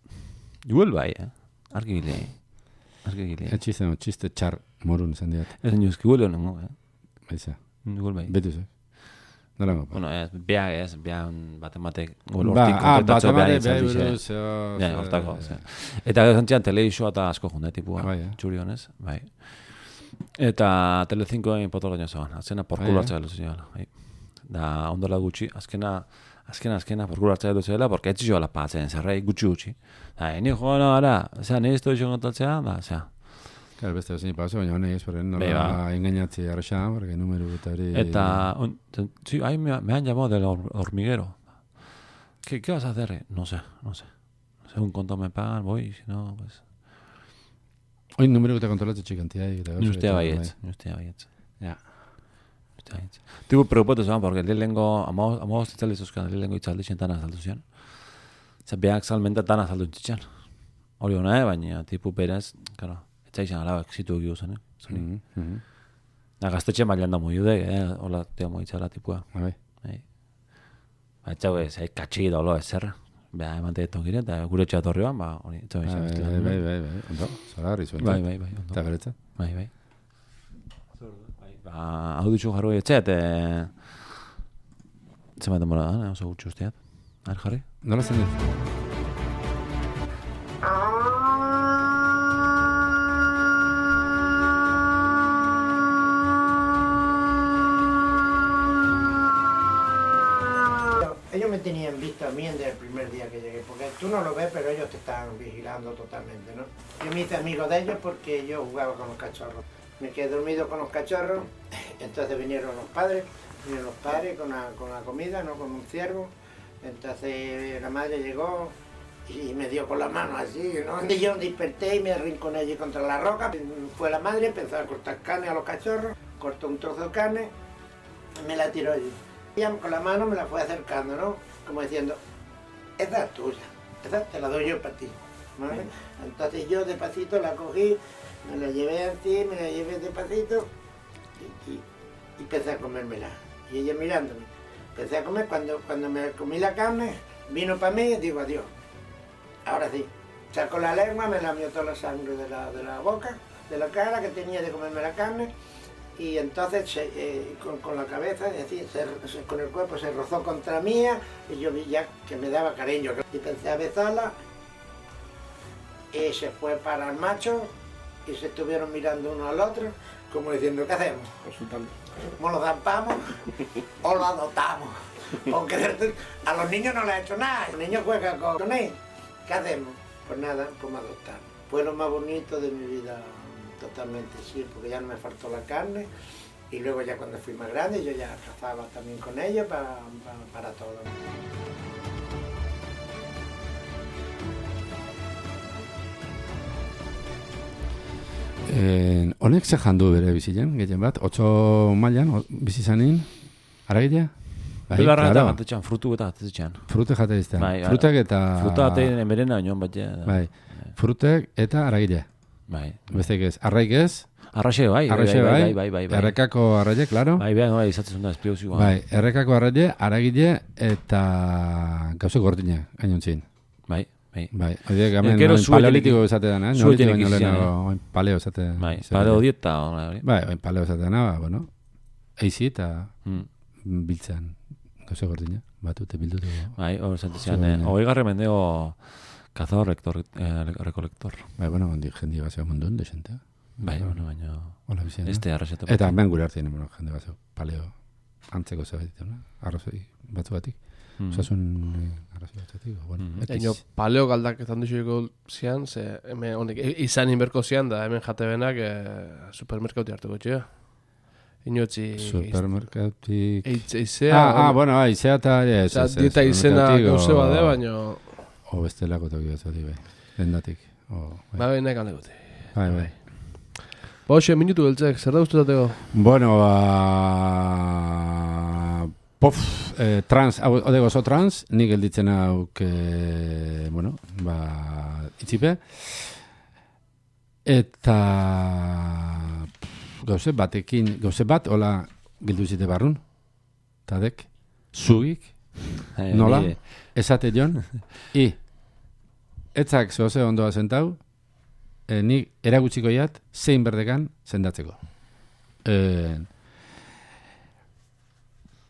Igual bai, eh? Argi gile, argi gile. Ez txiste, no, txiste txar morun izan diat. Ez nioz, igual honengo, eh? Baiza, Igual bai. betu zek. Nolango, pa. Bueno, ez, bea, ez, bea bate matek, igual Ba, hortik ah, bat kontaktatzea amare, behain behar itzaldixe. buruz, zeo, Ja, zeo, hortako, eh, ze. Eta zantzian televisioa eta asko junde, tipua, Bai, eh. txuri honez, bai. Eta Telecincoen potoloño zegoen, azkena Bai, porkulo eh. hartzea dut zela, bai. Da, ondola gutxi, azkena, azkena, azkena, porkulo hartzea dut zela, porque ez zioa lapatzen, zerrei, gutxi gutxi. Da, ni joan ara, zera, nire esto izan kontatzea, da, zera. Claro, beste zein paso, baina honek ez, porque Bai, ba. nola engañatzi arraxa, porque numero eta hori... Eta, on, te- sí, ahí me, me han llamado del hor- hormiguero. ¿Qué, ¿Qué vas a hacer? No sé, no sé. Según cuánto me pagan, voy, si no, pues... Oin numero eta kontrolatze txikantia. Eta Ni ustea bai. baietz, ni ustea baietz. Ja. Ustea baietz. Tipo preocupatu zeban, porque lehenengo, amagoz itzaldi zuzkan, lehenengo itzaldi xentan azaldu zian. Zer, beak salmenta tan azaldu txitxan. Hori hona, eh, baina, tipo berez, claro, etza izan alabak zitu egiu zen, eh? Zori. Mhm, mhm. Da, gaztetxe mailan da muiude, eh? Hola, tea moitzala, tipua. Bai. Bai. Ba, etxau ez, eh, katxi da olo ez zerra. Beha, emante tokiren, eta gure etxea torri ban, ba, hori, etxau Bai, izan. bai, bai, bai, bai, ondo, zoragarri zuen. Bai, bai, bai, ondo. Eta garetza. Bai, bai. Ba, hau ditxu jarro etxeat, e... Zenbat denbora da, eh, oso gutxi usteat. Har, jarri? Nola zen dut? Ellos me me tenían visto a mí desde el primer día que llegué, porque tú no lo ves, pero ellos te están vigilando totalmente, ¿no? Yo me hice amigo de ellos porque yo jugaba con los cachorros. Me quedé dormido con los cachorros, entonces vinieron los padres, vinieron los padres con la, con la comida, ¿no? Con un ciervo. Entonces la madre llegó y me dio con la mano así, ¿no? Y yo desperté y me arrinconé allí contra la roca. Fue la madre, empezó a cortar carne a los cachorros, cortó un trozo de carne y me la tiró allí. Ella con la mano me la fue acercando, ¿no? Como diciendo, esa es tuya, esa te la doy yo para ti, ¿vale? Entonces yo despacito la cogí, me la llevé así, me la llevé despacito y, y, y empecé a comérmela. Y ella mirándome. Empecé a comer, cuando, cuando me comí la carne, vino para mí y digo adiós. Ahora sí, sacó la lengua, me lamió toda la sangre de la, de la boca, de la cara que tenía de comerme la carne. Y entonces se, eh, con, con la cabeza, es decir, se, se, con el cuerpo se rozó contra mía y yo vi ya que me daba cariño. Y pensé a besarla y se fue para el macho y se estuvieron mirando uno al otro como diciendo, ¿qué hacemos? Consultando. ¿Cómo lo zampamos o lo adoptamos? Porque a los niños no les ha hecho nada, los niños juegan con él. ¿Qué hacemos? Pues nada, pues me adoptaron. Fue lo más bonito de mi vida. Totalmente, sí, porque ya no me faltó la carne y luego ya cuando fui más grande yo ya cazaba también con ellos para, para, para todo. Eh, honek ze jandu bere bizilen, gehien bat, otso mailan, o- bizi zanin, aragila? Bai, Bigarra eta claro. batetxan, frutu eta batetxan. Frute jate iztean. Bai, bai. Frutek eta... Fruta batean berena, oinon bat ja. Bai, frutek eta aragila. Bai. Besteik ez, arraik ez, Arraxe bai, bai, arraxe bai, bai, bai, bai, bai, bai. errekako arraile, claro. Bai, bai, bai, izatzen da, espliozioa. Bai, errekako arraile, aragile eta gauze gordina, gainontzin. Bai, bai. Bai, horiek hemen Gero orain zuetenik- paleolitiko esate dana, eh? zuetenik Neolitiko baino izan, lehenago, orain paleo esate. Bai, esate paleo dana. dieta, hola, hori. Bai, orain paleo esate dana, ba, bueno, eizi eta Mm. biltzen gauze gordina, batute bildutu. Bai, hori zantezian, Zuen, eh, hogei garre mendeo cazador rector, eh, recolector. Bai, bueno, handi jendi bazeo mundun, desente. Bai, bueno, baina... Hola bizien. Este arraxete. Eta hemen gure hartzen, bueno, jende bazeo, paleo antzeko zerbait, no? Arrozoi batzugatik. Mm. Osasun eh, arrazoi batzugatik, bueno, Mm. ekiz. Eino, paleo galdaketan duzueko zian, ze hemen honek i- izan inberko zian da, hemen jate benak eh, supermerkauti hartuko txea. Inotzi... Supermerkatik... Eitz, eizea... Ah, ah, bueno, bai, izea eta... ez, Osa, ez, ez, dieta izena supermerkatik, gauze o- bade, baino... O bestelako toki batzuatik, bai. Dendatik. O, bai. Ba, benak aldeguti. Bai, bai. Ba, hoxe, minutu beltzek, zer da ustutateko? Bueno, ba... Pof, eh, trans, hau odego oso trans, nik gelditzen hauk, eh, bueno, ba, itzipe. Eta... pff, Gauze batekin, gauze bat, hola, gildu zite barrun. Tadek, zugik, Eh, nola, nire- esate jon, i, etzak zoze ondoa zentau, eh, nik eragutziko jat, zein berdekan sendatzeko. Eh,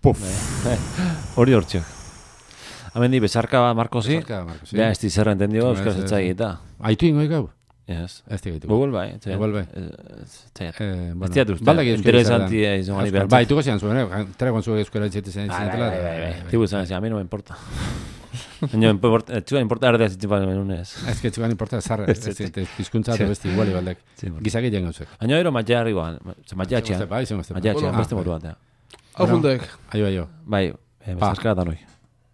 puf. Hori hortxak. Hemen di, besarka bat Markosi. Besarka, Marcos, sí. Ja, ez di zerra entendigo, Ez, euskaz ez, etzai ez. eta. Aitu ingoik hau? Yes. Ez tigaitu. Google bai. etxe. Google bai. Eh, ez- etxaiat. Eh, bueno, Ez diat uste, baldak euskera interesanti izaten. izan gani Euskal- behar. Bai, tuko zian zuen, eh? Tregon zuen euskera itxete zen Bai, bai, zinetela. bai, bai, bai. Tibu izan, a mi no me importa. Baina, importa, etxuan importa erdea zitzen balen menunez. Ez que txugan importa zarra, Ez, ez ez, ez pizkuntza eta besti iguali baldek. Sí, bueno. Gizaki jen gauzek. Baina ero matia arriba, matia txean. Bai, zen guztepa. Matia txean, Bueno, beste ah, moru batea. Hau fundek. Aio, aio. Bai, eh, besarka da noi.